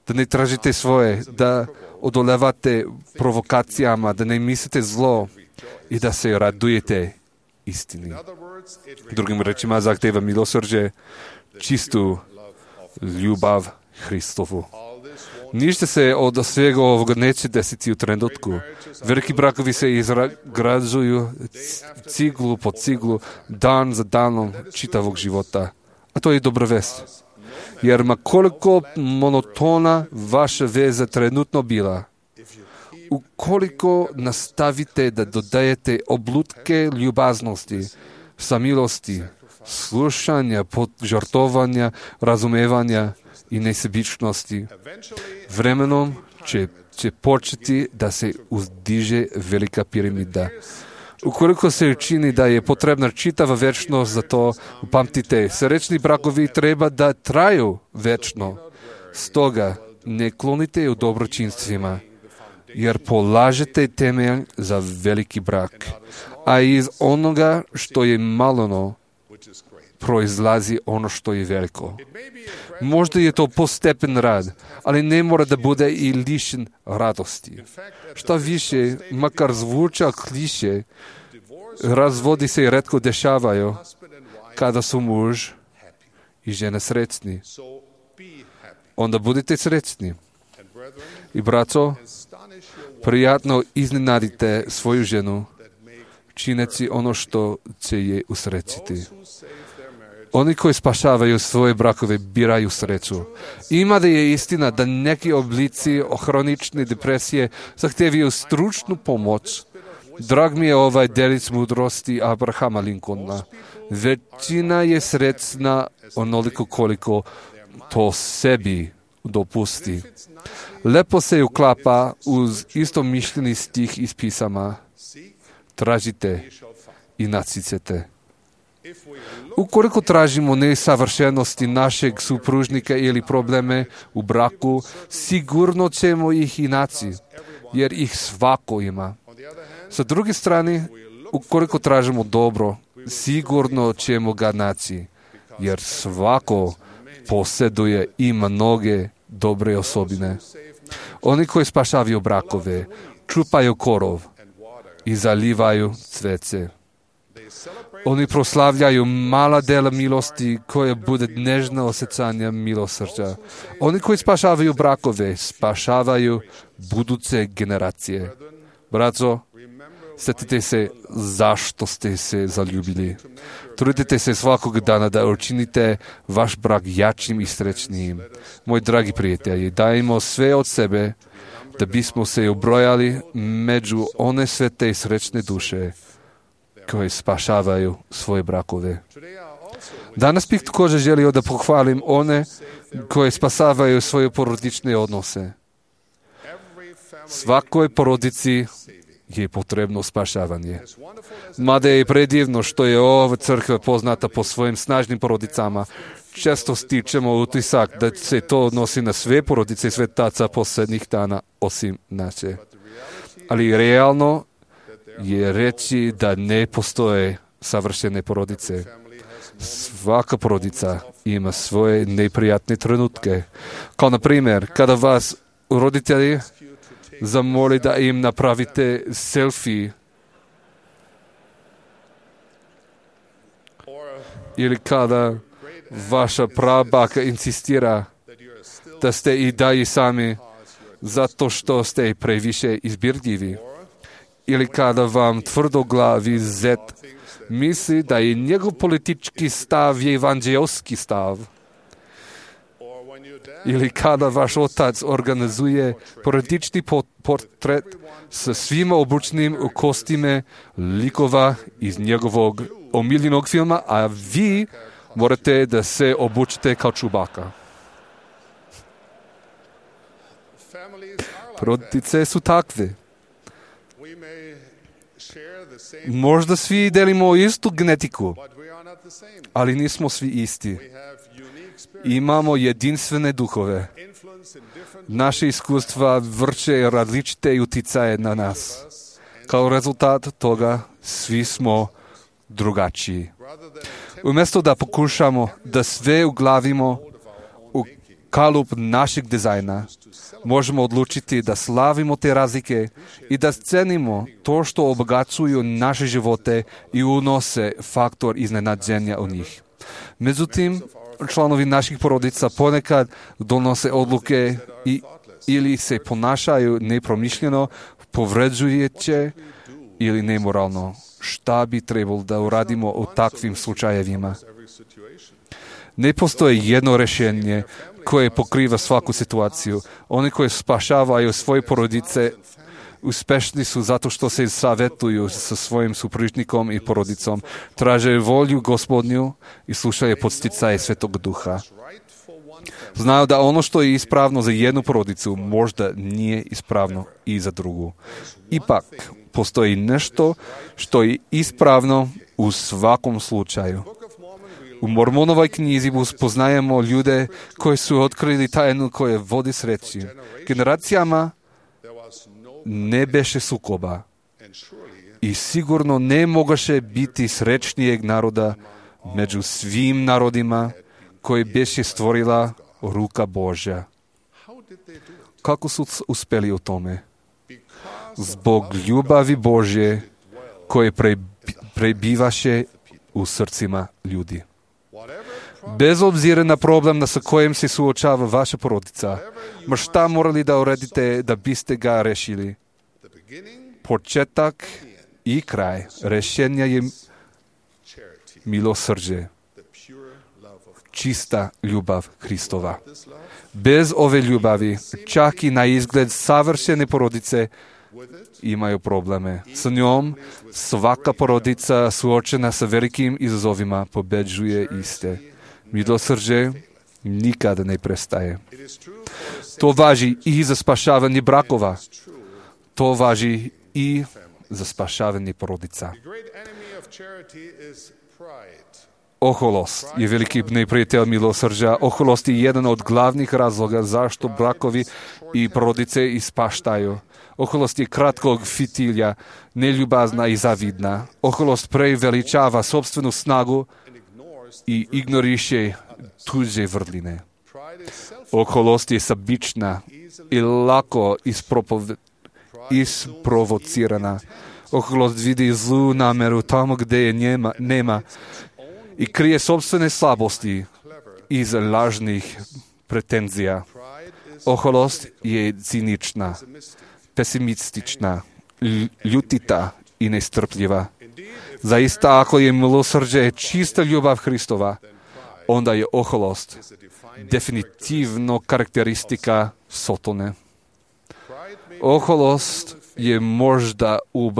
da ne tražite svoje, da odolevate provokacijama, da ne mislite zlo i da se radujete istini. Drugim rečima, zahtjeva milosrđe, čistu ljubav Hristovu. Ništa se od svega ovoga neće desiti u trenutku. Veliki brakovi se izgrađuju ciglu po ciglu, dan za danom čitavog života. A to je dobra vest. Jer ma koliko monotona vaša veza trenutno bila, ukoliko nastavite da dodajete oblutke ljubaznosti, samilosti, slušanja, požrtvovanja, razumevanja i nesebičnosti, vremenom će, će početi da se uzdiže velika piramida. Ukoliko se učini da je potrebna čitava večnost za to, upamtite, srećni brakovi treba da traju večno. Stoga ne klonite u dobročinstvima, jer polažete temelj za veliki brak. A iz onoga što je maleno proizlazi ono što je veliko. Možda je to postepen rad, ali ne mora da bude i lišen radosti. Šta više, makar zvuča kliše, razvodi se retko dešavaju kada su muž i žena srećni. Onda budite srećni. I braco, prijatno iznenadite svoju ženu, čineći ono što će je usrećiti. Oni koji spašavaju svoje brakove biraju sreću. Ima da je istina da neki oblici hronične depresije zahtevaju stručnu pomoć. Drag mi je ovaj delić mudrosti Abrahama Lincolna. Većina je srećna onoliko koliko to sebi dopusti. Lepo se uklapa uz istomišljeni stih iz pisama. Tražite i nacicete. Ukoliko tražimo nesavršenosti našeg supružnika ili probleme u braku, sigurno ćemo ih i naći, jer ih svako ima. Sa druge strane, ukoliko tražimo dobro, sigurno ćemo ga naći, jer svako posjeduje i mnoge dobre osobine. Oni koji spašavaju brakove, čupaju korov i zalivaju cvece. Oni proslavljaju mala dela milosti koje bude nežna osjećanja milosrđa. Oni koji spašavaju brakove, spašavaju buduće generacije. Braco, sjetite se zašto ste se zaljubili. Trudite se svakog dana da učinite vaš brak jačim i srećnijim. Moji dragi prijatelji, dajmo sve od sebe da bismo se ubrojali među one svete i srećne duše koje spašavaju svoje brakove. Danas bih također želio da pohvalim one koje spasavaju svoje porodične odnose. Svakoj porodici je potrebno spašavanje. Mada je predivno što je ova crkva poznata po svojim snažnim porodicama, često stičemo utisak da se to odnosi na sve porodice svetaca posljednjih dana, osim naše. Ali realno je reći da ne postoje savršene porodice. Svaka porodica ima svoje neprijatne trenutke. Kao na primjer, kada vas roditelji zamoli da im napravite selfie ili kada vaša prabaka insistira da ste i dalje sami zato što ste previše izbirljivi, ili kada vam tvrdoglavi zet misli da je njegov politički stav je evanđelski stav, ili kada vaš otac organizuje porodični portret sa svima obučenim u kostime likova iz njegovog omiljenog filma, a vi morate da se obučite kao Čubaka. Porodice su takve. Možda svi delimo istu genetiku, ali nismo svi isti. Imamo jedinstvene duhove. Naše iskustva vrše različite uticaje na nas. Kao rezultat toga svi smo drugačiji. Umjesto da pokušamo da sve uglavimo u kalup našeg dizajna, možemo odlučiti da slavimo te razlike i da cenimo to što obogacuju naše živote i unose faktor iznenađenja u njih. Međutim, članovi naših porodica ponekad donose odluke i, ili se ponašaju nepromišljeno, povređujuće ili nemoralno. Šta bi trebalo da uradimo u takvim slučajevima? Ne postoji jedno rješenje koje pokriva svaku situaciju. Oni koji spašavaju svoje porodice uspešni su zato što se savjetuju sa svojim supružnikom i porodicom, traže volju Gospodnju i slušaju podsticaje Svetog Duha. Znaju da ono što je ispravno za jednu porodicu možda nije ispravno i za drugu. Ipak, postoji nešto što je ispravno u svakom slučaju. U Mormonovoj knjizi spoznajemo ljude koji su otkrili tajnu koje vodi sreći. Generacijama ne beše sukoba i sigurno ne mogaše biti srećnijeg naroda među svim narodima koji beše stvorila ruka Božja. Kako su uspeli u tome? Zbog ljubavi Božje koje prebivaše u srcima ljudi. Bez obzira na problem sa kojim se suočava vaša porodica, ma šta morali da uradite da biste ga rešili? Početak i kraj rešenja je milosrđe, čista ljubav Hristova. Bez ove ljubavi, čak i na izgled savršene porodice imaju probleme. Sa njom svaka porodica suočena sa velikim izazovima pobeđuje iste. Milosrđe nikada ne prestaje. To važi i za spašavanje brakova. To važi i za spašavanje porodica. Oholost je veliki neprijatelj milosrđa. Oholost je jedan od glavnih razloga zašto brakovi i porodice ispaštaju. Oholost je kratkog fitilja, neljubazna i zavidna. Oholost preveličava sopstvenu snagu i ignoriše tuđe vrline. Oholost je sebična i lako ispropov... isprovocirana. Oholost vidi zlu nameru tamo gdje je njema, nema i krije sopstvene slabosti iz lažnih pretenzija. Oholost je cinična, pesimistična, ljutita i nestrpljiva. Zaista, ako je milosrđe čista ljubav Hristova, onda je oholost definitivno karakteristika Sotone. Oholost je možda ub,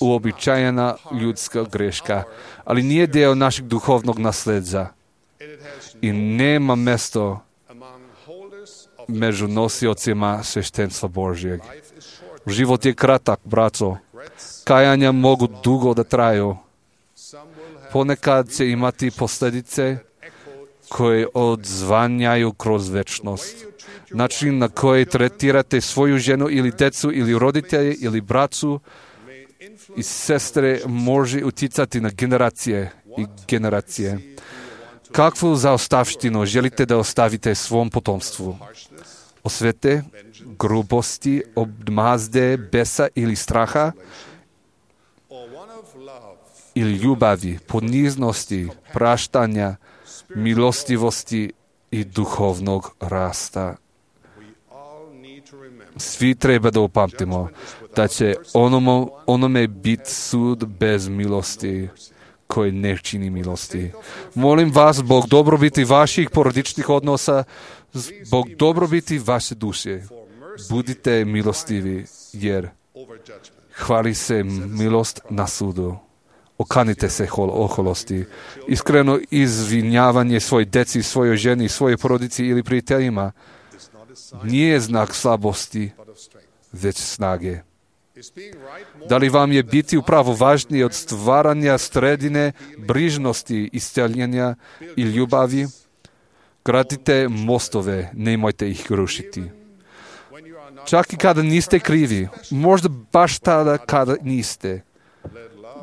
uobičajena ljudska greška, ali nije dio našeg duhovnog nasljeđa i nema mjesto među nosiocima sveštenstva Božjeg. Život je kratak, braco, Kajanja mogu dugo da traju. Ponekad će imati posljedice koje odzvanjaju kroz večnost. Način na koji tretirate svoju ženu ili decu ili roditelje ili braću i sestre može utjecati na generacije i generacije. Kakvu zaostavštinu želite da ostavite svom potomstvu? Osvete, grubosti, odmazde, besa ili straha? Ili ljubavi, poniznosti, praštanja, milostivosti i duhovnog rasta? Svi treba da upamtimo da će onomu, onome biti sud bez milosti koji ne čini milosti. Molim vas, zbog dobrobiti vaših porodičnih odnosa, zbog dobrobiti vaše duše, budite milostivi, jer hvali se milost na sudu. Okanite se oholosti. Iskreno izvinjavanje svoj deci, svojoj ženi, svojoj porodici ili prijateljima nije znak slabosti, već snage. Da li vam je biti upravo važnije od stvaranja sredine, brižnosti, isceljenja i ljubavi? Gradite mostove, nemojte ih rušiti. Čak i kada niste krivi, možda baš tada kada niste,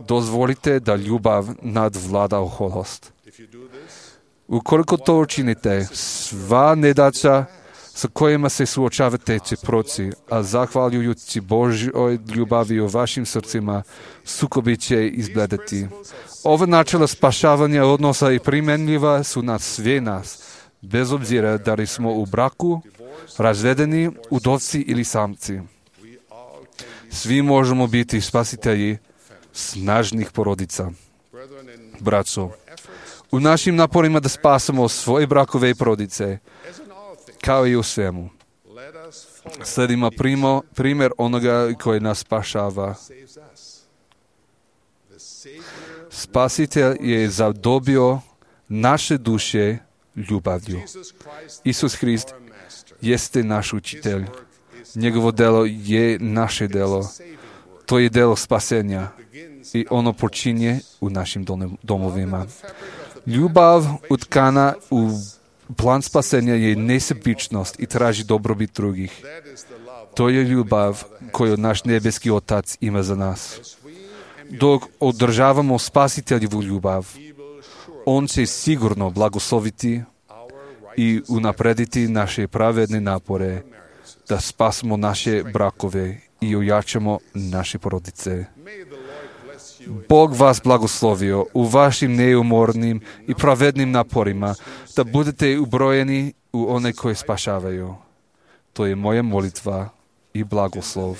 dozvolite da ljubav nadvlada oholost. Ukoliko to učinite, sva nedaća sa kojima se suočavate će proći, a zahvaljujući Božjoj ljubavi u vašim srcima, sukobi će izbledati. Ova načela spašavanja odnosa i primjenljiva su na sve nas, bez obzira da li smo u braku, razvedeni, udovci ili samci. Svi možemo biti spasitelji snažnih porodica. Braćo, u našim naporima da spasamo svoje brakove i porodice, kao i u svemu, sledimo primo, primjer onoga koji nas spašava. Spasitelj je zadobio naše duše ljubavlju. Isus Hrist jeste naš učitelj. Njegovo delo je naše delo. To je delo spasenja i ono počinje u našim domovima. Ljubav utkana u plan spasenja je nesebičnost i traži dobrobit drugih. To je ljubav koju naš nebeski Otac ima za nas. Dok održavamo spasiteljevu ljubav, On će sigurno blagosloviti i unaprediti naše pravedne napore da spasimo naše brakove i ojačamo naše porodice. Bog vas blagoslovio u vašim neumornim i pravednim naporima, da budete ubrojeni u one koje spašavaju. To je moja molitva i blagoslov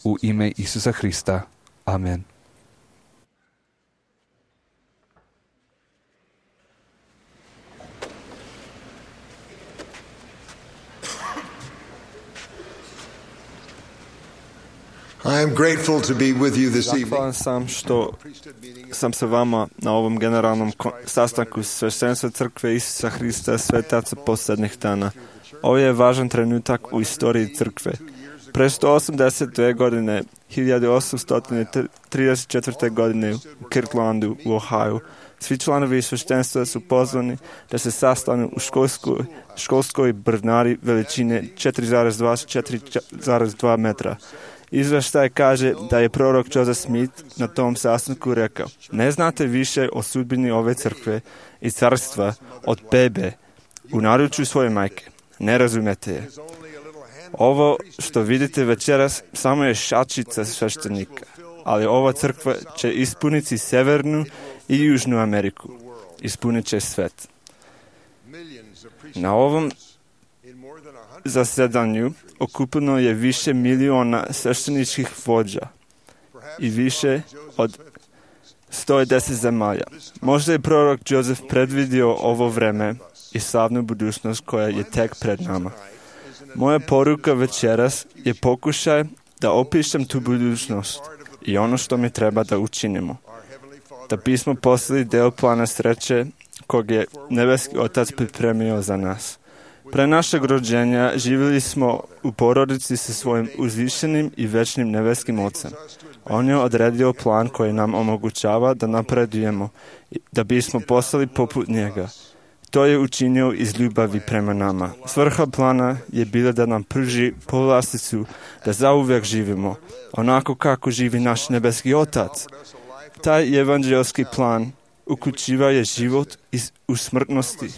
u ime Isusa Hrista. Amen. I am grateful to be with you this evening. Zahvalan sam što sam sa vama na ovom generalnom sastanku sveštenstva crkve Isusa Hrista svetaca posljednjih dana. Ovo je važan trenutak u istoriji crkve. Pre sto osamdeset dve godine, hiljadu osamsto trideset četvrte. godine u Kirklandu u Ohio, svi članovi sveštenstva su pozvani da se sastanu u školskoj, školskoj brnari veličine četiri zarez dva do četiri zarez dva metra. Izveštaj kaže da je prorok Joseph Smith na tom sastanku rekao: ne znate više o sudbini ove crkve i carstva od bebe u naručju svoje majke. Ne razumete je. Ovo što vidite večeras samo je šačica sveštenika, ali ova crkva će ispuniti Severnu i Južnu Ameriku. Ispunit će svet. Na ovom zasedanju okupljeno je više miliona svešteničkih vođa i više od sto deset zemalja. Možda je prorok Joseph predvidio ovo vreme i slavnu budućnost koja je tek pred nama. Moja poruka večeras je pokušaj da opišem tu budućnost i ono što mi treba da učinimo, da bismo postali del plana sreće kog je nebeski Otac pripremio za nas. Pre našeg rođenja živjeli smo u porodici sa svojim uzvišenim i večnim nebeskim Ocem. On je odredio plan koji nam omogućava da napredujemo, da bismo postali poput njega. To je učinio iz ljubavi prema nama. Svrha plana je bila da nam pruži povlasticu da zauvek živimo, onako kako živi naš nebeski Otac. Taj evanđelski plan uključiva je život u smrtnosti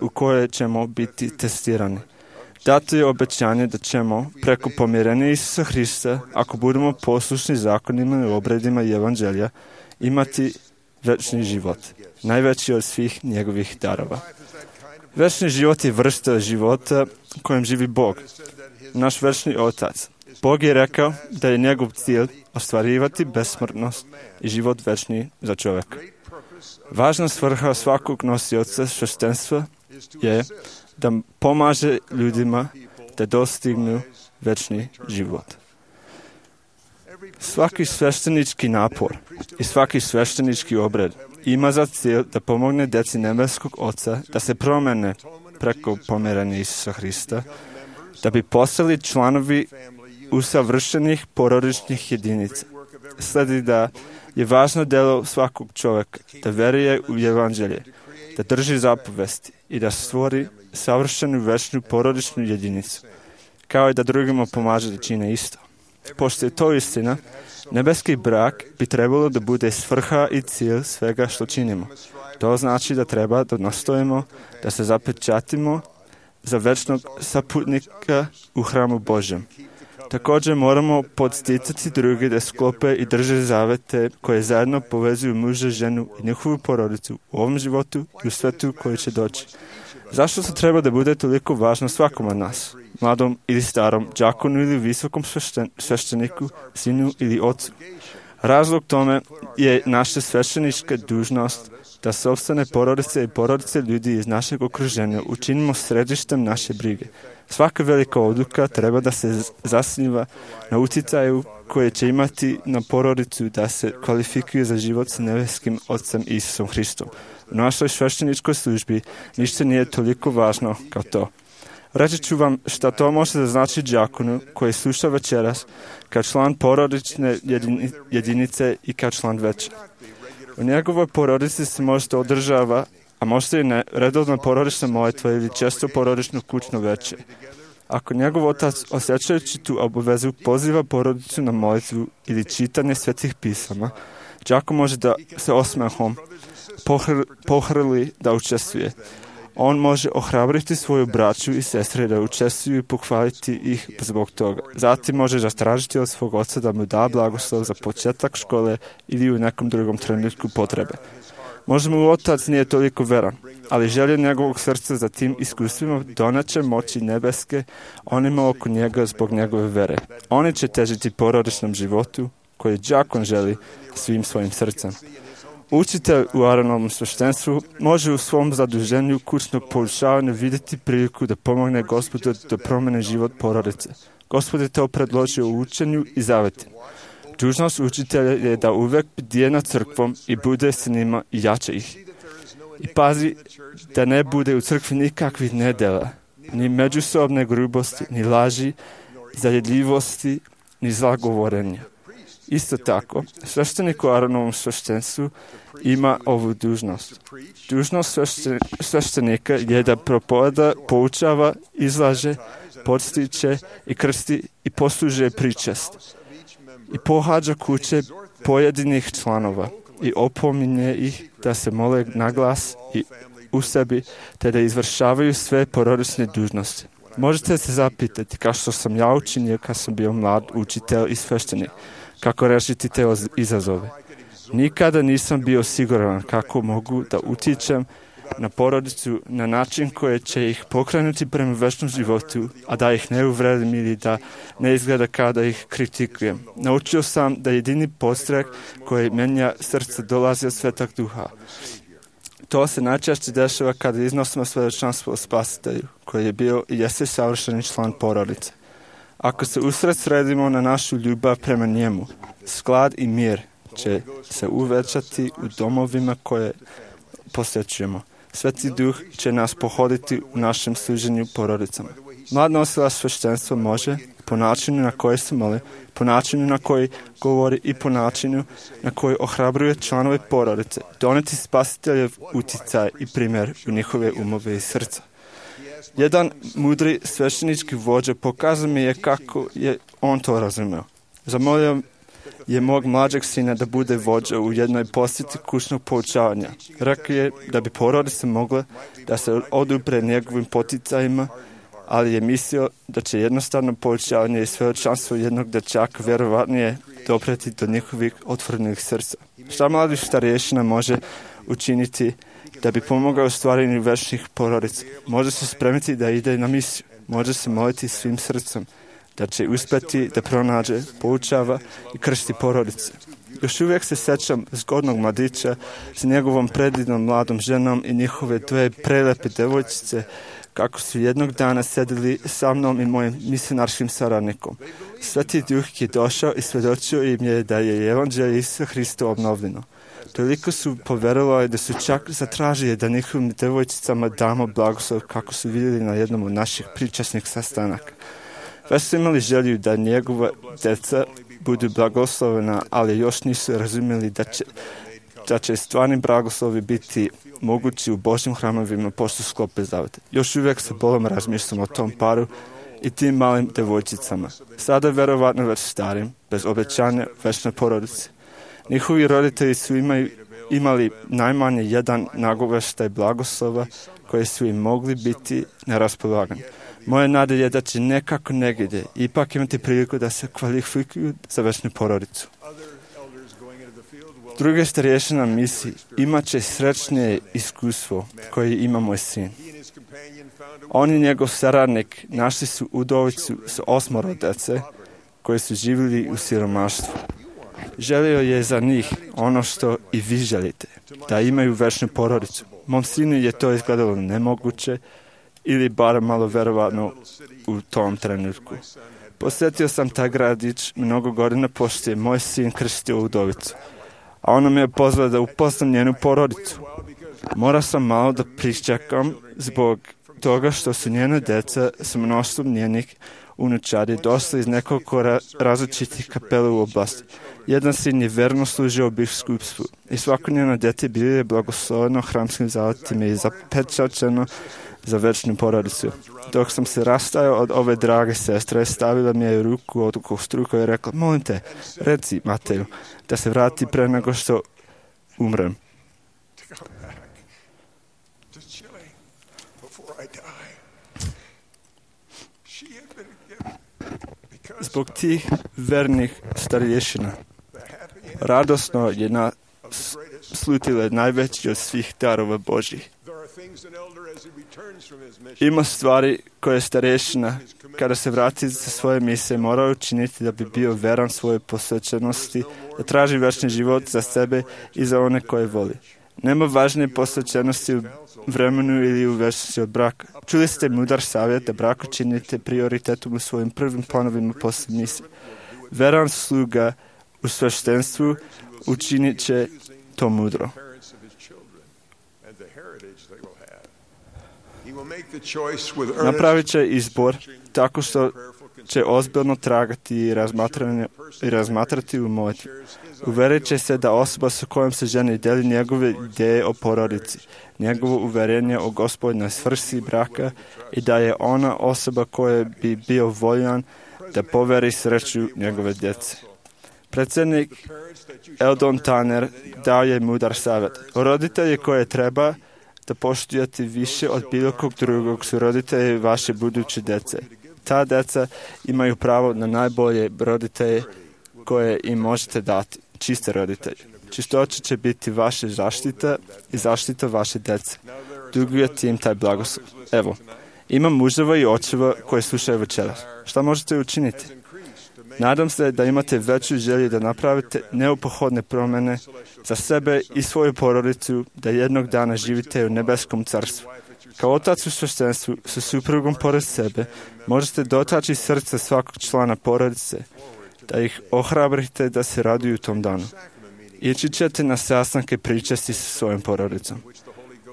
u kojoj ćemo biti testirani. Dato je obećanje da ćemo preko pomirenja Isusa Hrista, ako budemo poslušni zakonima i obredima evanđelja, imati večni život, najveći od svih njegovih darova. Večni život je vrsta života kojem živi Bog, naš večni Otac. Bog je rekao da je njegov cilj ostvarivati besmrtnost i život večni za čovjeka. Važna svrha svakog nosioca sveštenstva je da pomaže ljudima da dostignu večni život. Svaki sveštenički napor i svaki sveštenički obred ima za cilj da pomogne djeci nebeskog Oca da se promene preko pomirenja Isusa Hrista, da bi postali članovi usavršenih porodičnih jedinica. Sledi da je važno delo svakog čovjeka da veruje u evanđelje, da drži zapovesti i da stvori savršenu večnu porodičnu jedinicu, kao i da drugima pomaže da čine isto. Pošto je to istina, nebeski brak bi trebalo da bude svrha i cilj svega što činimo. To znači da treba da nastojimo, da se zapečatimo za večnog saputnika u hramu Božjem. Također moramo podsticati druge da sklope i drže zavete koje zajedno povezuju muža, ženu i njihovu porodicu u ovom životu i u svetu koji će doći. Zašto se treba da bude toliko važno svakom od nas? Mladom ili starom, đakonu ili visokom svešten, svešteniku, sinu ili ocu? Razlog tome je naša sveštenička dužnost da sopstvene porodice i porodice ljudi iz našeg okruženja učinimo središtem naše brige. Svaka velika odluka treba da se zasniva na uticaju koje će imati na porodicu da se kvalifikuje za život sa nebeskim Ocem Isusom Hristom. U našoj svešteničkoj službi ništa nije toliko važno kao to. Reći ću vam šta to može da znači đakonu koji sluša večeras kao član porodične jedinice i kao član veća. U njegovoj porodici se možda održava, a možda i ne, redovna porodična molitva ili često porodično kućno veće. Ako njegov otac, osjećajući tu obavezu, poziva porodicu na molitvu ili čitanje svetih pisama, đakon može da se osmehom pohr, pohrli da učestvuje. On može ohrabriti svoju braću i sestre da učestvuju i pohvaliti ih zbog toga. Zatim može zatražiti od svog oca da mu da blagoslov za početak škole ili u nekom drugom trenutku potrebe. Možda mu otac nije toliko veran, ali želje njegovog srca za tim iskustvima doneće moći nebeske onima oko njega zbog njegove vere. Oni će težiti porodičnom životu koji đakon želi svim svojim srcem. Učitelj u Aaronovom sveštenstvu može u svom zaduženju kućnog poučavanja vidjeti priliku da pomogne Gospodu da promene život porodice. Gospod je to predložio u učenju i zavetima. Dužnost učitelja je da uvek bdije nad crkvom i bude s njima i jače ih. I pazi da ne bude u crkvi nikakvih nedela, ni međusobne grubosti, ni laži, zajedljivosti, ni zlagovorenja. Isto tako, sveštenik u Aaronovom sveštenstvu ima ovu dužnost. Dužnost sveštenika je da propoveda, poučava, izlaže, podstiče i krsti i poslužuje pričest. I pohađa kuće pojedinih članova i opominje ih da se mole na glas i u sebi, te da izvršavaju sve porodične dužnosti. Možete se zapitati kao što sam ja učinio kad sam bio mlad učitelj i sveštenik. Kako rešiti te izazove. Nikada nisam bio siguran kako mogu da utičem na porodicu na način koji će ih pokrenuti prema večnom životu, a da ih ne uvredim ili da ne izgleda kao da ih kritikujem. Naučio sam da jedini podstrek koji menja srce dolazi od Svetog Duha. To se najčešće dešava kada iznosimo svedočanstvo o Spasitelju, koji je bio i jeste savršeni član porodice. Ako se usred sredimo na našu ljubav prema njemu, sklad i mir će se uvećati u domovima koje posjećujemo. Sveti Duh će nas pohoditi u našem služenju porodicama. Mlad nosilac sveštenstva može, po načinu na koji se moli, po načinu na koji govori i po načinu na koji ohrabruje članove porodice, doneti spasiteljev utjecaj i primjer u njihove umove i srca. Jedan mudri sveštenički vođa pokazao mi je kako je on to razumio. Zamolio je mog mlađeg sina da bude vođa u jednoj posjeti kućnog poučavanja. Rekao je da bi porodice mogle da se odupre njegovim poticajima, ali je mislio da će jednostavno poučavanje i svedočanstvo jednog dječaka vjerovatnije dopreti do njihovih otvorenih srca. Šta mladi starješina može učiniti da bi pomogao u stvaranju večnih porodica? Može se spremiti da ide na misiju. Može se moliti svim srcem da će uspjeti da pronađe, poučava i krsti porodice. Još uvijek se sjećam zgodnog mladića s njegovom predivnom mladom ženom i njihove dve prelepe devojčice, kako su jednog dana sedili sa mnom i mojim misionarskim saradnikom. Sveti Duh je došao i svjedočio im je da je evanđelje Isusa Hrista obnovljeno. Toliko su povjerovali da su čak zatražili da njihovim devojčicama damo blagoslov, kako su vidjeli na jednom od naših pričasnih sastanaka. Već su imali želju da njegova djeca budu blagoslovena, ali još nisu razumjeli da će, da će stvarni blagoslovi biti mogući u Božjim hramovima pošto sklope zavete. Još uvijek se bolom razmišljam o tom paru i tim malim devojčicama. Sada verovatno već starim, bez obećanja večne porodice. Njihovi roditelji su imali, imali najmanje jedan nagoveštaj blagoslova koje su im mogli biti na raspolaganju. Moje nade je da će nekako negdje ipak imati priliku da se kvalifikuju za večnu porodicu. Druge starješina misli imat će srećnije iskustvo koje ima moj sin. On i njegov saradnik našli su udovicu s osmoro djece koji su živjeli u siromaštvu. Želio je za njih ono što i vi želite, da imaju večnu porodicu. Mom sinu je to izgledalo nemoguće ili bar malo verovatno u tom trenutku. Posjetio sam taj gradić mnogo godina pošto je moj sin krstio udovicu, a ona me je pozvala da upoznam njenu porodicu. Morao sam malo da pričekam zbog toga što su njene djeca s mnoštvom njenih unučadi došli iz nekoliko ra- različitih kapela u oblasti. Jedan sin je verno služio u biskupstvu i svako njeno djete bilo je blagosloveno hramskim zaletima i zapečačeno za večnu porodicu. Dok sam se rastajao od ove drage sestre, stavila mi je ruku od kostruka i rekla, molim te, reci Mateju, da se vrati pre nego što umrem. Zbog tih vernih starješina radosno je nas slutile najveći od svih darova Božih. Ima stvari koje starješina, kada se vrati sa svoje misije, mora učiniti da bi bio veran svoje posvećenosti, da traži večni život za sebe i za one koje voli. Nema važnije posvećenosti u vremenu ili u večnosti od braka. Čuli ste mudar savjet da brak činite prioritetom u svojim prvim planovima poslije misije. Veran sluga u sveštenstvu učinit će to mudro. Napravit će izbor tako što će ozbiljno tragati i, i razmatrati u molitvi. Uverit će se da osoba sa kojom se ženi deli njegove ideje o porodici, njegovo uverenje o Gospodnoj svrsi braka i da je ona osoba koja bi bio voljan da poveri sreću njegove djece. Predsjednik Eldon Tanner dao je mudar savjet. Roditelji koje treba da poštujete više od bilo kog drugog su roditelji vaše buduće djece. Ta djeca imaju pravo na najbolje roditelje koje im možete dati, čiste roditelje. Čistoća će biti vaša zaštita i zaštita vaše djece. Dugujete im taj blagoslov. Evo, imam muževa i očeva koji slušaju večeras. Šta možete učiniti? Nadam se da imate veću želju da napravite neophodne promjene za sebe i svoju porodicu, da jednog dana živite u nebeskom carstvu. Kao otac u sveštenstvu sa suprugom pored sebe možete dotaći srce svakog člana porodice, da ih ohrabrite da se raduju tom danu. Ići ćete na sastanke pričasti sa svojom porodicom.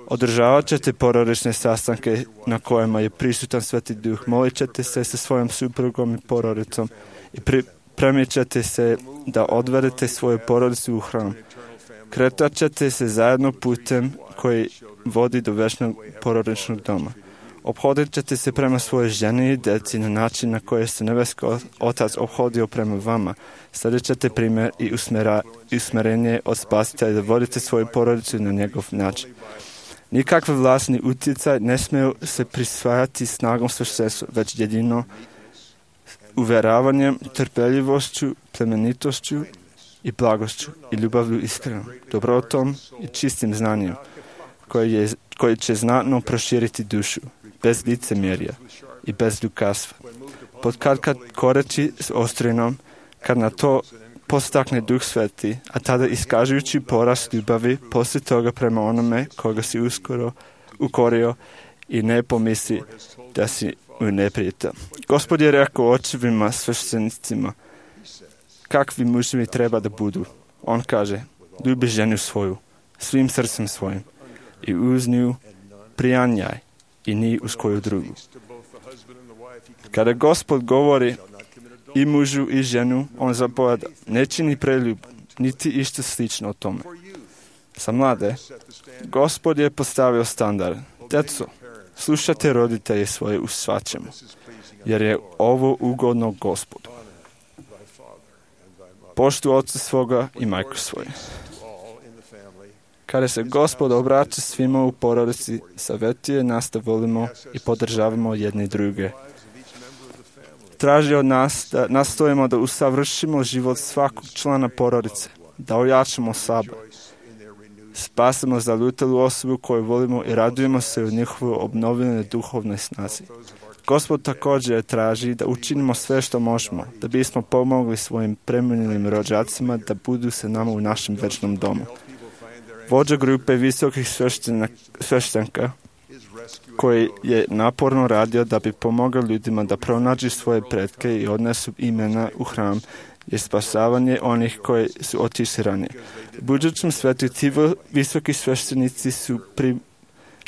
Održavat ćete porodične sastanke na kojima je prisutan Sveti Duh. Molit ćete se sa svojom suprugom i porodicom i pripremit ćete se da odvedete svoju porodicu u hram. Kretat ćete se zajedno putem koji vodi do večnog porodičnog doma. Ophodit ćete se prema svojoj ženi i djeci na način na koji se nebeski Otac ophodio prema vama. Slijedit ćete primjer i usmera, usmerenje od Spasitelja da vodite svoju porodicu na njegov način. Nikakve vlasni utjecaj ne smiju se prisvajati snagom sveštenstva, već jedino uvjeravanjem, trpeljivošću, plemenitošću i blagošću i ljubavlju iskrenom, dobrotom i čistim znanjem, koji, je, koji će znatno proširiti dušu, bez licemjerja i bez ljubazstva. Pod kad kad koreći s ostrinom, kad na to postakne Duh Sveti, a tada iskažujući porast ljubavi, poslije toga prema onome koga si uskoro ukorio i ne pomisli da si mu neprijatelj. Gospod je rekao očevima sveštenicima kakvi muževi treba da budu. On kaže, ljubi ženu svoju, svim srcem svojim i uz nju prijanjaj i ni uz koju drugu. Kada Gospod govori i mužu i ženu, on zapoveda, ne čini preljub, niti išto slično o tome. Za mlade, Gospod je postavio standard. Djeco, slušajte roditelje svoje u svačemu, jer je ovo ugodno Gospodu. Poštu oca svoga i majku svoje. Kada se Gospod obraća svima u porodici, savjetuje nas da volimo i podržavamo jedni druge. Traži od nas da nastojimo da usavršimo život svakog člana porodice, da ojačamo sebe. Spasimo zalutelu osobu koju volimo i radujemo se u njihovoj obnovljenoj duhovnoj snazi. Gospod također traži da učinimo sve što možemo, da bismo pomogli svojim preminulim rođacima da budu se nama u našem večnom domu. Vođa grupe visokih sveštenka koji je naporno radio da bi pomogao ljudima da pronađu svoje pretke i odnesu imena u hram, je spasavanje onih koji su otišli ranije. U budućem svetu ti visoki sveštenici su pri,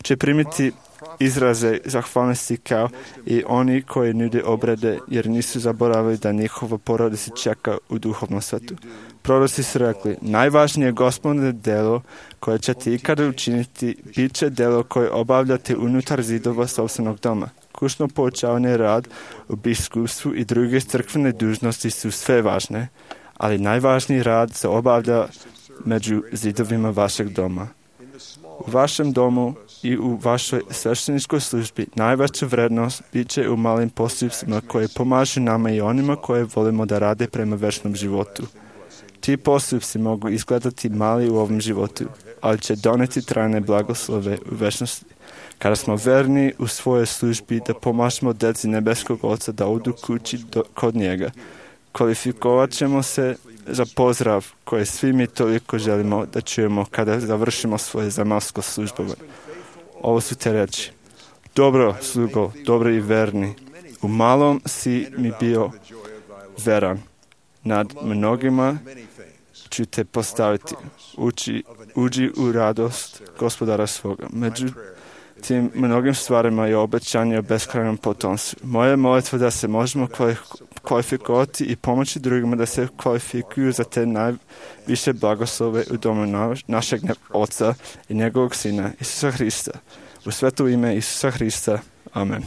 će primiti izraze zahvalnosti kao i oni koji nude obrede, jer nisu zaboravili da njihova porodica čeka u duhovnom svetu. Proroci su rekli, najvažnije gospodine delo koje ćete ikada učiniti, bit će delo koje obavljate unutar zidova sopstvenog doma. Kućno poučavanje, rad u biskupstvu i druge crkvene dužnosti su sve važne, ali najvažniji rad se obavlja među zidovima vašeg doma. U vašem domu i u vašoj svešteničkoj službi najveća vrednost bit će u malim postupcima koje pomažu nama i onima koje volimo da rade prema večnom životu. Ti postupci mogu izgledati mali u ovom životu, ali će doneti trajne blagoslove u večnosti. Kada smo verni u svojoj službi da pomažemo djeci nebeskog Oca da odu kući do, kod njega, kvalifikovat ćemo se za pozdrav koje svi mi toliko želimo da čujemo kada završimo svoje zemaljsko službovanje. Ovo su te reči. Dobro, slugo, dobro i verni. U malom si mi bio veran. Nad mnogima ću te postaviti. Uči, uđi u radost gospodara svoga. Među tim mnogim stvarima je obećanje o beskrajnom potomstvu. Moja molitva da se možemo kvalifikovati i pomoći drugima da se kvalifikuju za te najviše blagoslove u domu našeg Oca i njegovog Sina, Isusa Hrista. U sveto ime Isusa Hrista. Amen.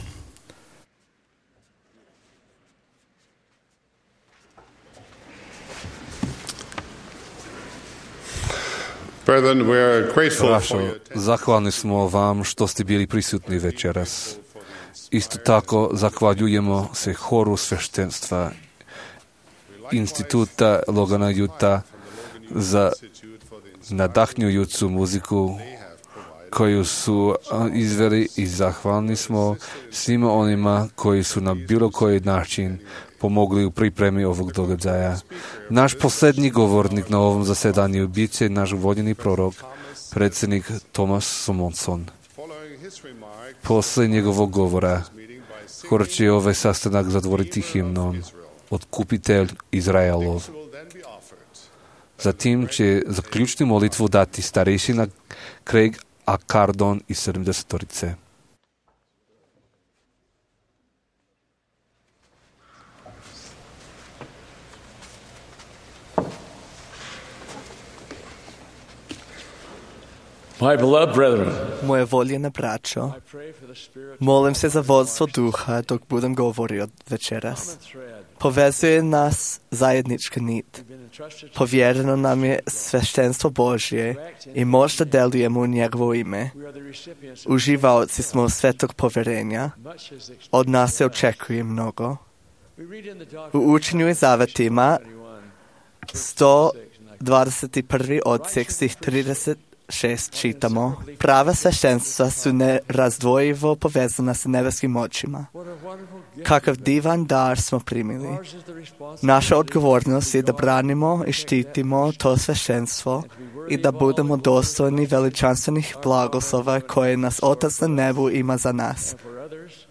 Brethren, we are grateful Brašo, for you. zahvalni smo vam što ste bili prisutni večeras. Isto tako zahvaljujemo se horu sveštenstva Instituta Logana Juta za nadahnjujuću muziku koju su izveli i zahvalni smo svima onima koji su na bilo koji način pomogli u pripremi ovog događaja. Naš posljednji govornik na ovom zasedanju bit će naš voljeni prorok, predsjednik Thomas Somonson. Poslije njegovog govora, hor će ovaj sastanak zatvoriti himnom Otkupitelj Izraelov. Zatim će zaključnu molitvu dati starešina Craig a Cardon iz sedamdesetorice. My beloved brethren, Moje voljene braćo, molim se za vodstvo duha dok budem govorio večeras. Povezuje nas zajednička nit. Povjereno nam je sveštenstvo Božje i možda delujemo u njegovo ime. Uživaoci smo svetog povjerenja. Od nas se očekuje mnogo. U učenju i zavetima sto dvadeset prvi odsjek stih trideset šest čitamo: prava sveštenstva su nerazdvojivo povezana sa nebeskim očima. Kakav divan dar smo primili. Naša odgovornost je da branimo i štitimo to sveštenstvo i da budemo dostojni veličanstvenih blagoslova koje nas Otac na nebu ima za nas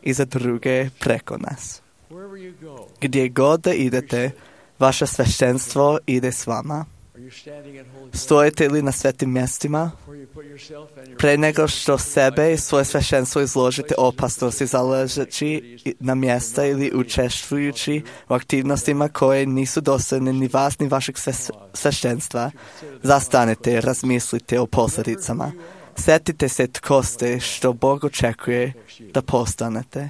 i za druge preko nas. Gdje god da idete, vaše sveštenstvo ide s vama. Stojite li na svetim mjestima? Pre nego što sebe i svoje sveštenstvo izložite opasnosti zalažeći na mjesta ili učestvujući u aktivnostima koje nisu dostojne ni vas ni vašeg sveštenstva, zastanite i razmislite o posljedicama. Sjetite se tko ste, što Bog očekuje da postanete.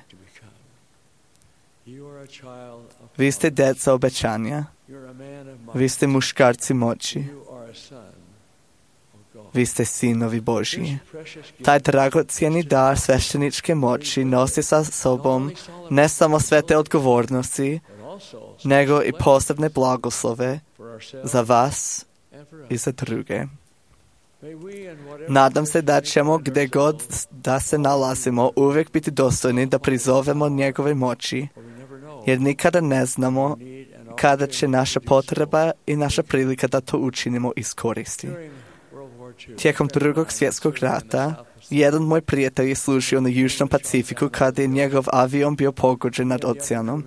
Vi ste djeca obećanja. Vi ste muškarci moći. Vi ste sinovi Božji. Taj dragocjeni dar svešteničke moći nosi sa sobom ne samo svete odgovornosti, nego i posebne blagoslove za vas i za druge. Nadam se da ćemo gdje god da se nalazimo uvijek biti dostojni da prizovemo njegove moći, jer nikada ne znamo kada će naša potreba i naša prilika da to učinimo iskoristi. Tijekom drugog svjetskog rata, jedan moj prijatelj je služio na Južnom Pacifiku kada je njegov avion bio pogođen nad oceanom.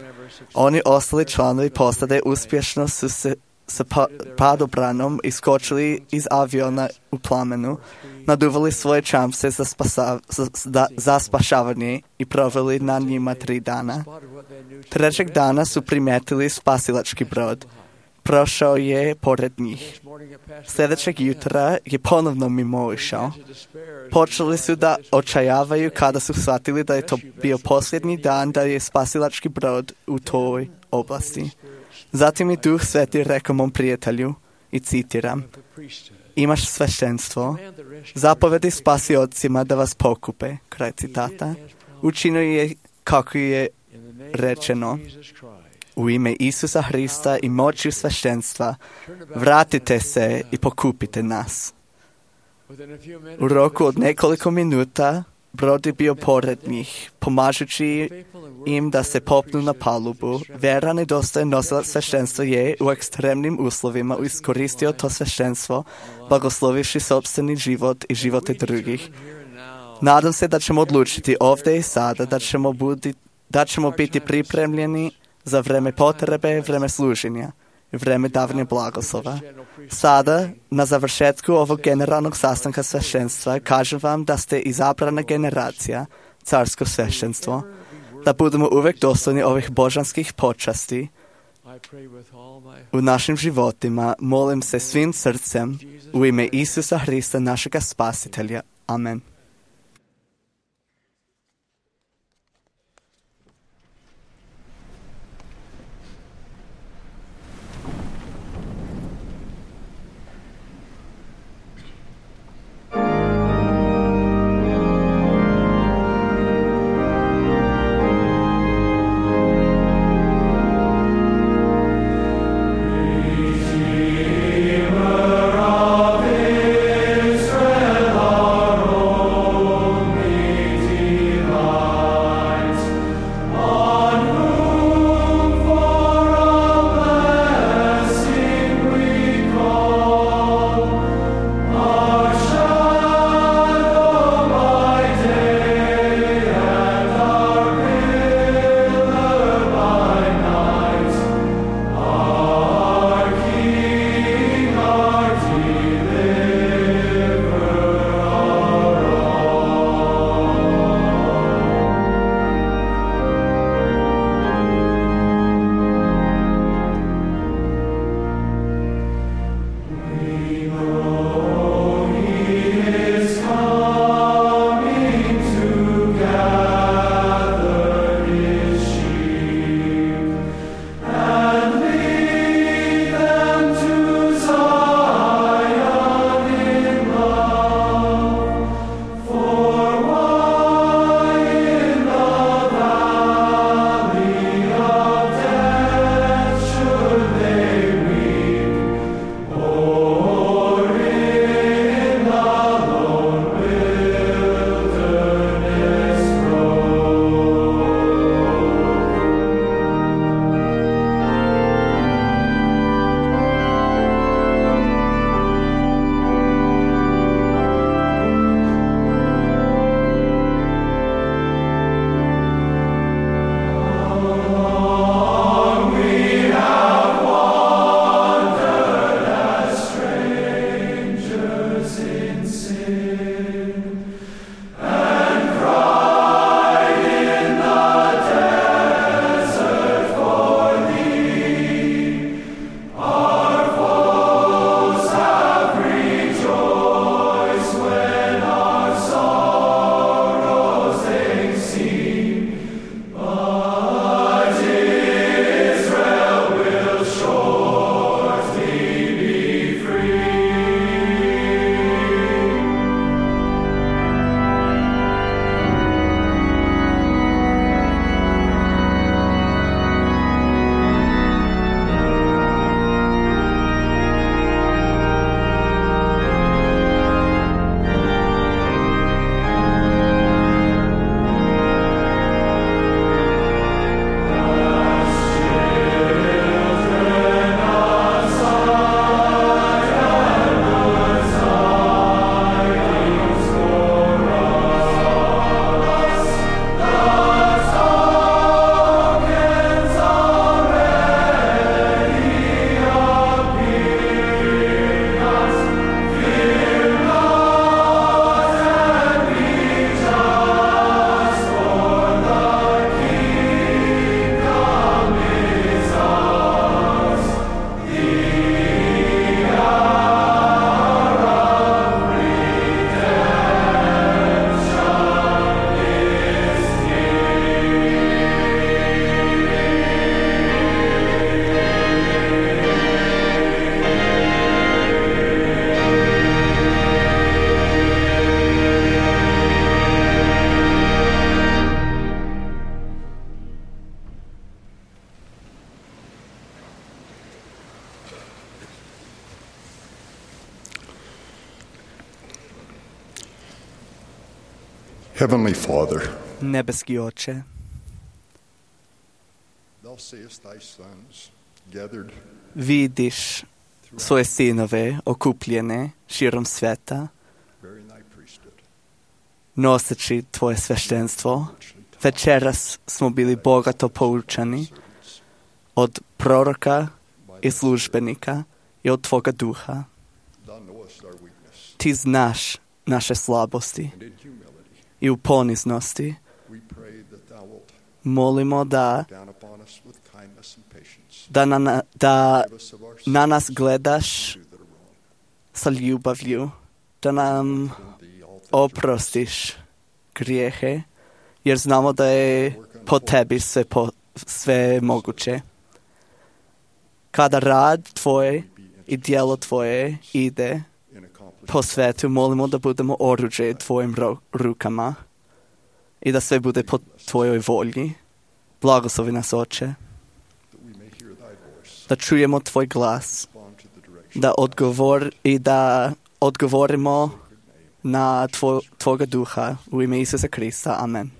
Oni ostali članovi posade uspješno su se sa pa, padobranom iskočili iz aviona u plamenu, naduvali svoje čamce za, spasa, za, za, za spašavanje i proveli na njima tri dana. Trećeg dana su primijetili spasilački brod. Prošao je pored njih. Sljedećeg jutra je ponovno mimo išao. Počeli su da očajavaju kada su shvatili da je to bio posljednji dan da je spasilački brod u toj oblasti. Zatim i Duh Sveti rekao mom prijatelju, i citiram: imaš sveštenstvo, zapovedi spasiocima da vas pokupe, kraj citata. Učinio je kako je rečeno: u ime Isusa Hrista i moći sveštenstva, vratite se i pokupite nas. U roku od nekoliko minuta brod je bio pored njih, pomažući im da se popnu na palubu. Veran i dostojan nosilac sveštenstva je u ekstremnim uslovima iskoristio to sveštenstvo, blagoslovivši sopstveni život i živote drugih. Nadam se da ćemo odlučiti ovdje i sada da ćemo, budi, da ćemo biti pripremljeni za vreme potrebe, vreme služenja i vreme davanja blagoslova. Sada, na završetku ovog generalnog sastanka sveštenstva, kažem vam da ste izabrana generacija, carsko sveštenstvo, da budemo uvijek dostojni ovih božanskih počasti. U našim životima molim se svim srcem u ime Isusa Hrista, našega spasitelja. Amen. Israel, our Heavenly Father, Nebeski Oče, thou seest thy sons gathered vidiš svoje sinove okupljene širom sveta, bearing thy priesthood. noseći tvoje sveštenstvo. Večeras smo bili bogato poučani od proroka i službenika i od tvoga duha. Thou knowest our weakness, Ti znaš naše slabosti and in humility i u poniznosti we pray that thou wilt molimo da, down upon us with kindness and patience. da, na, da Give us of our sins na nas gledaš that are wrong. sa ljubavlju, da nam In thee all things are oprostiš grijehe, jer znamo da je po tebi sve, po, sve moguće. Kada rad tvoj i djelo tvoje ide in accomplishing po svetu, molimo da budemo oruđe tvojim ro- rukama i da sve bude po tvojoj volji. Blagoslovi nas, Oče, that we may hear thy voice, da čujemo tvoj glas, respond to the direction da odgovor i da odgovorimo of the sacred name. na tvoj, tvoga duha u ime Isusa Krista. Amen.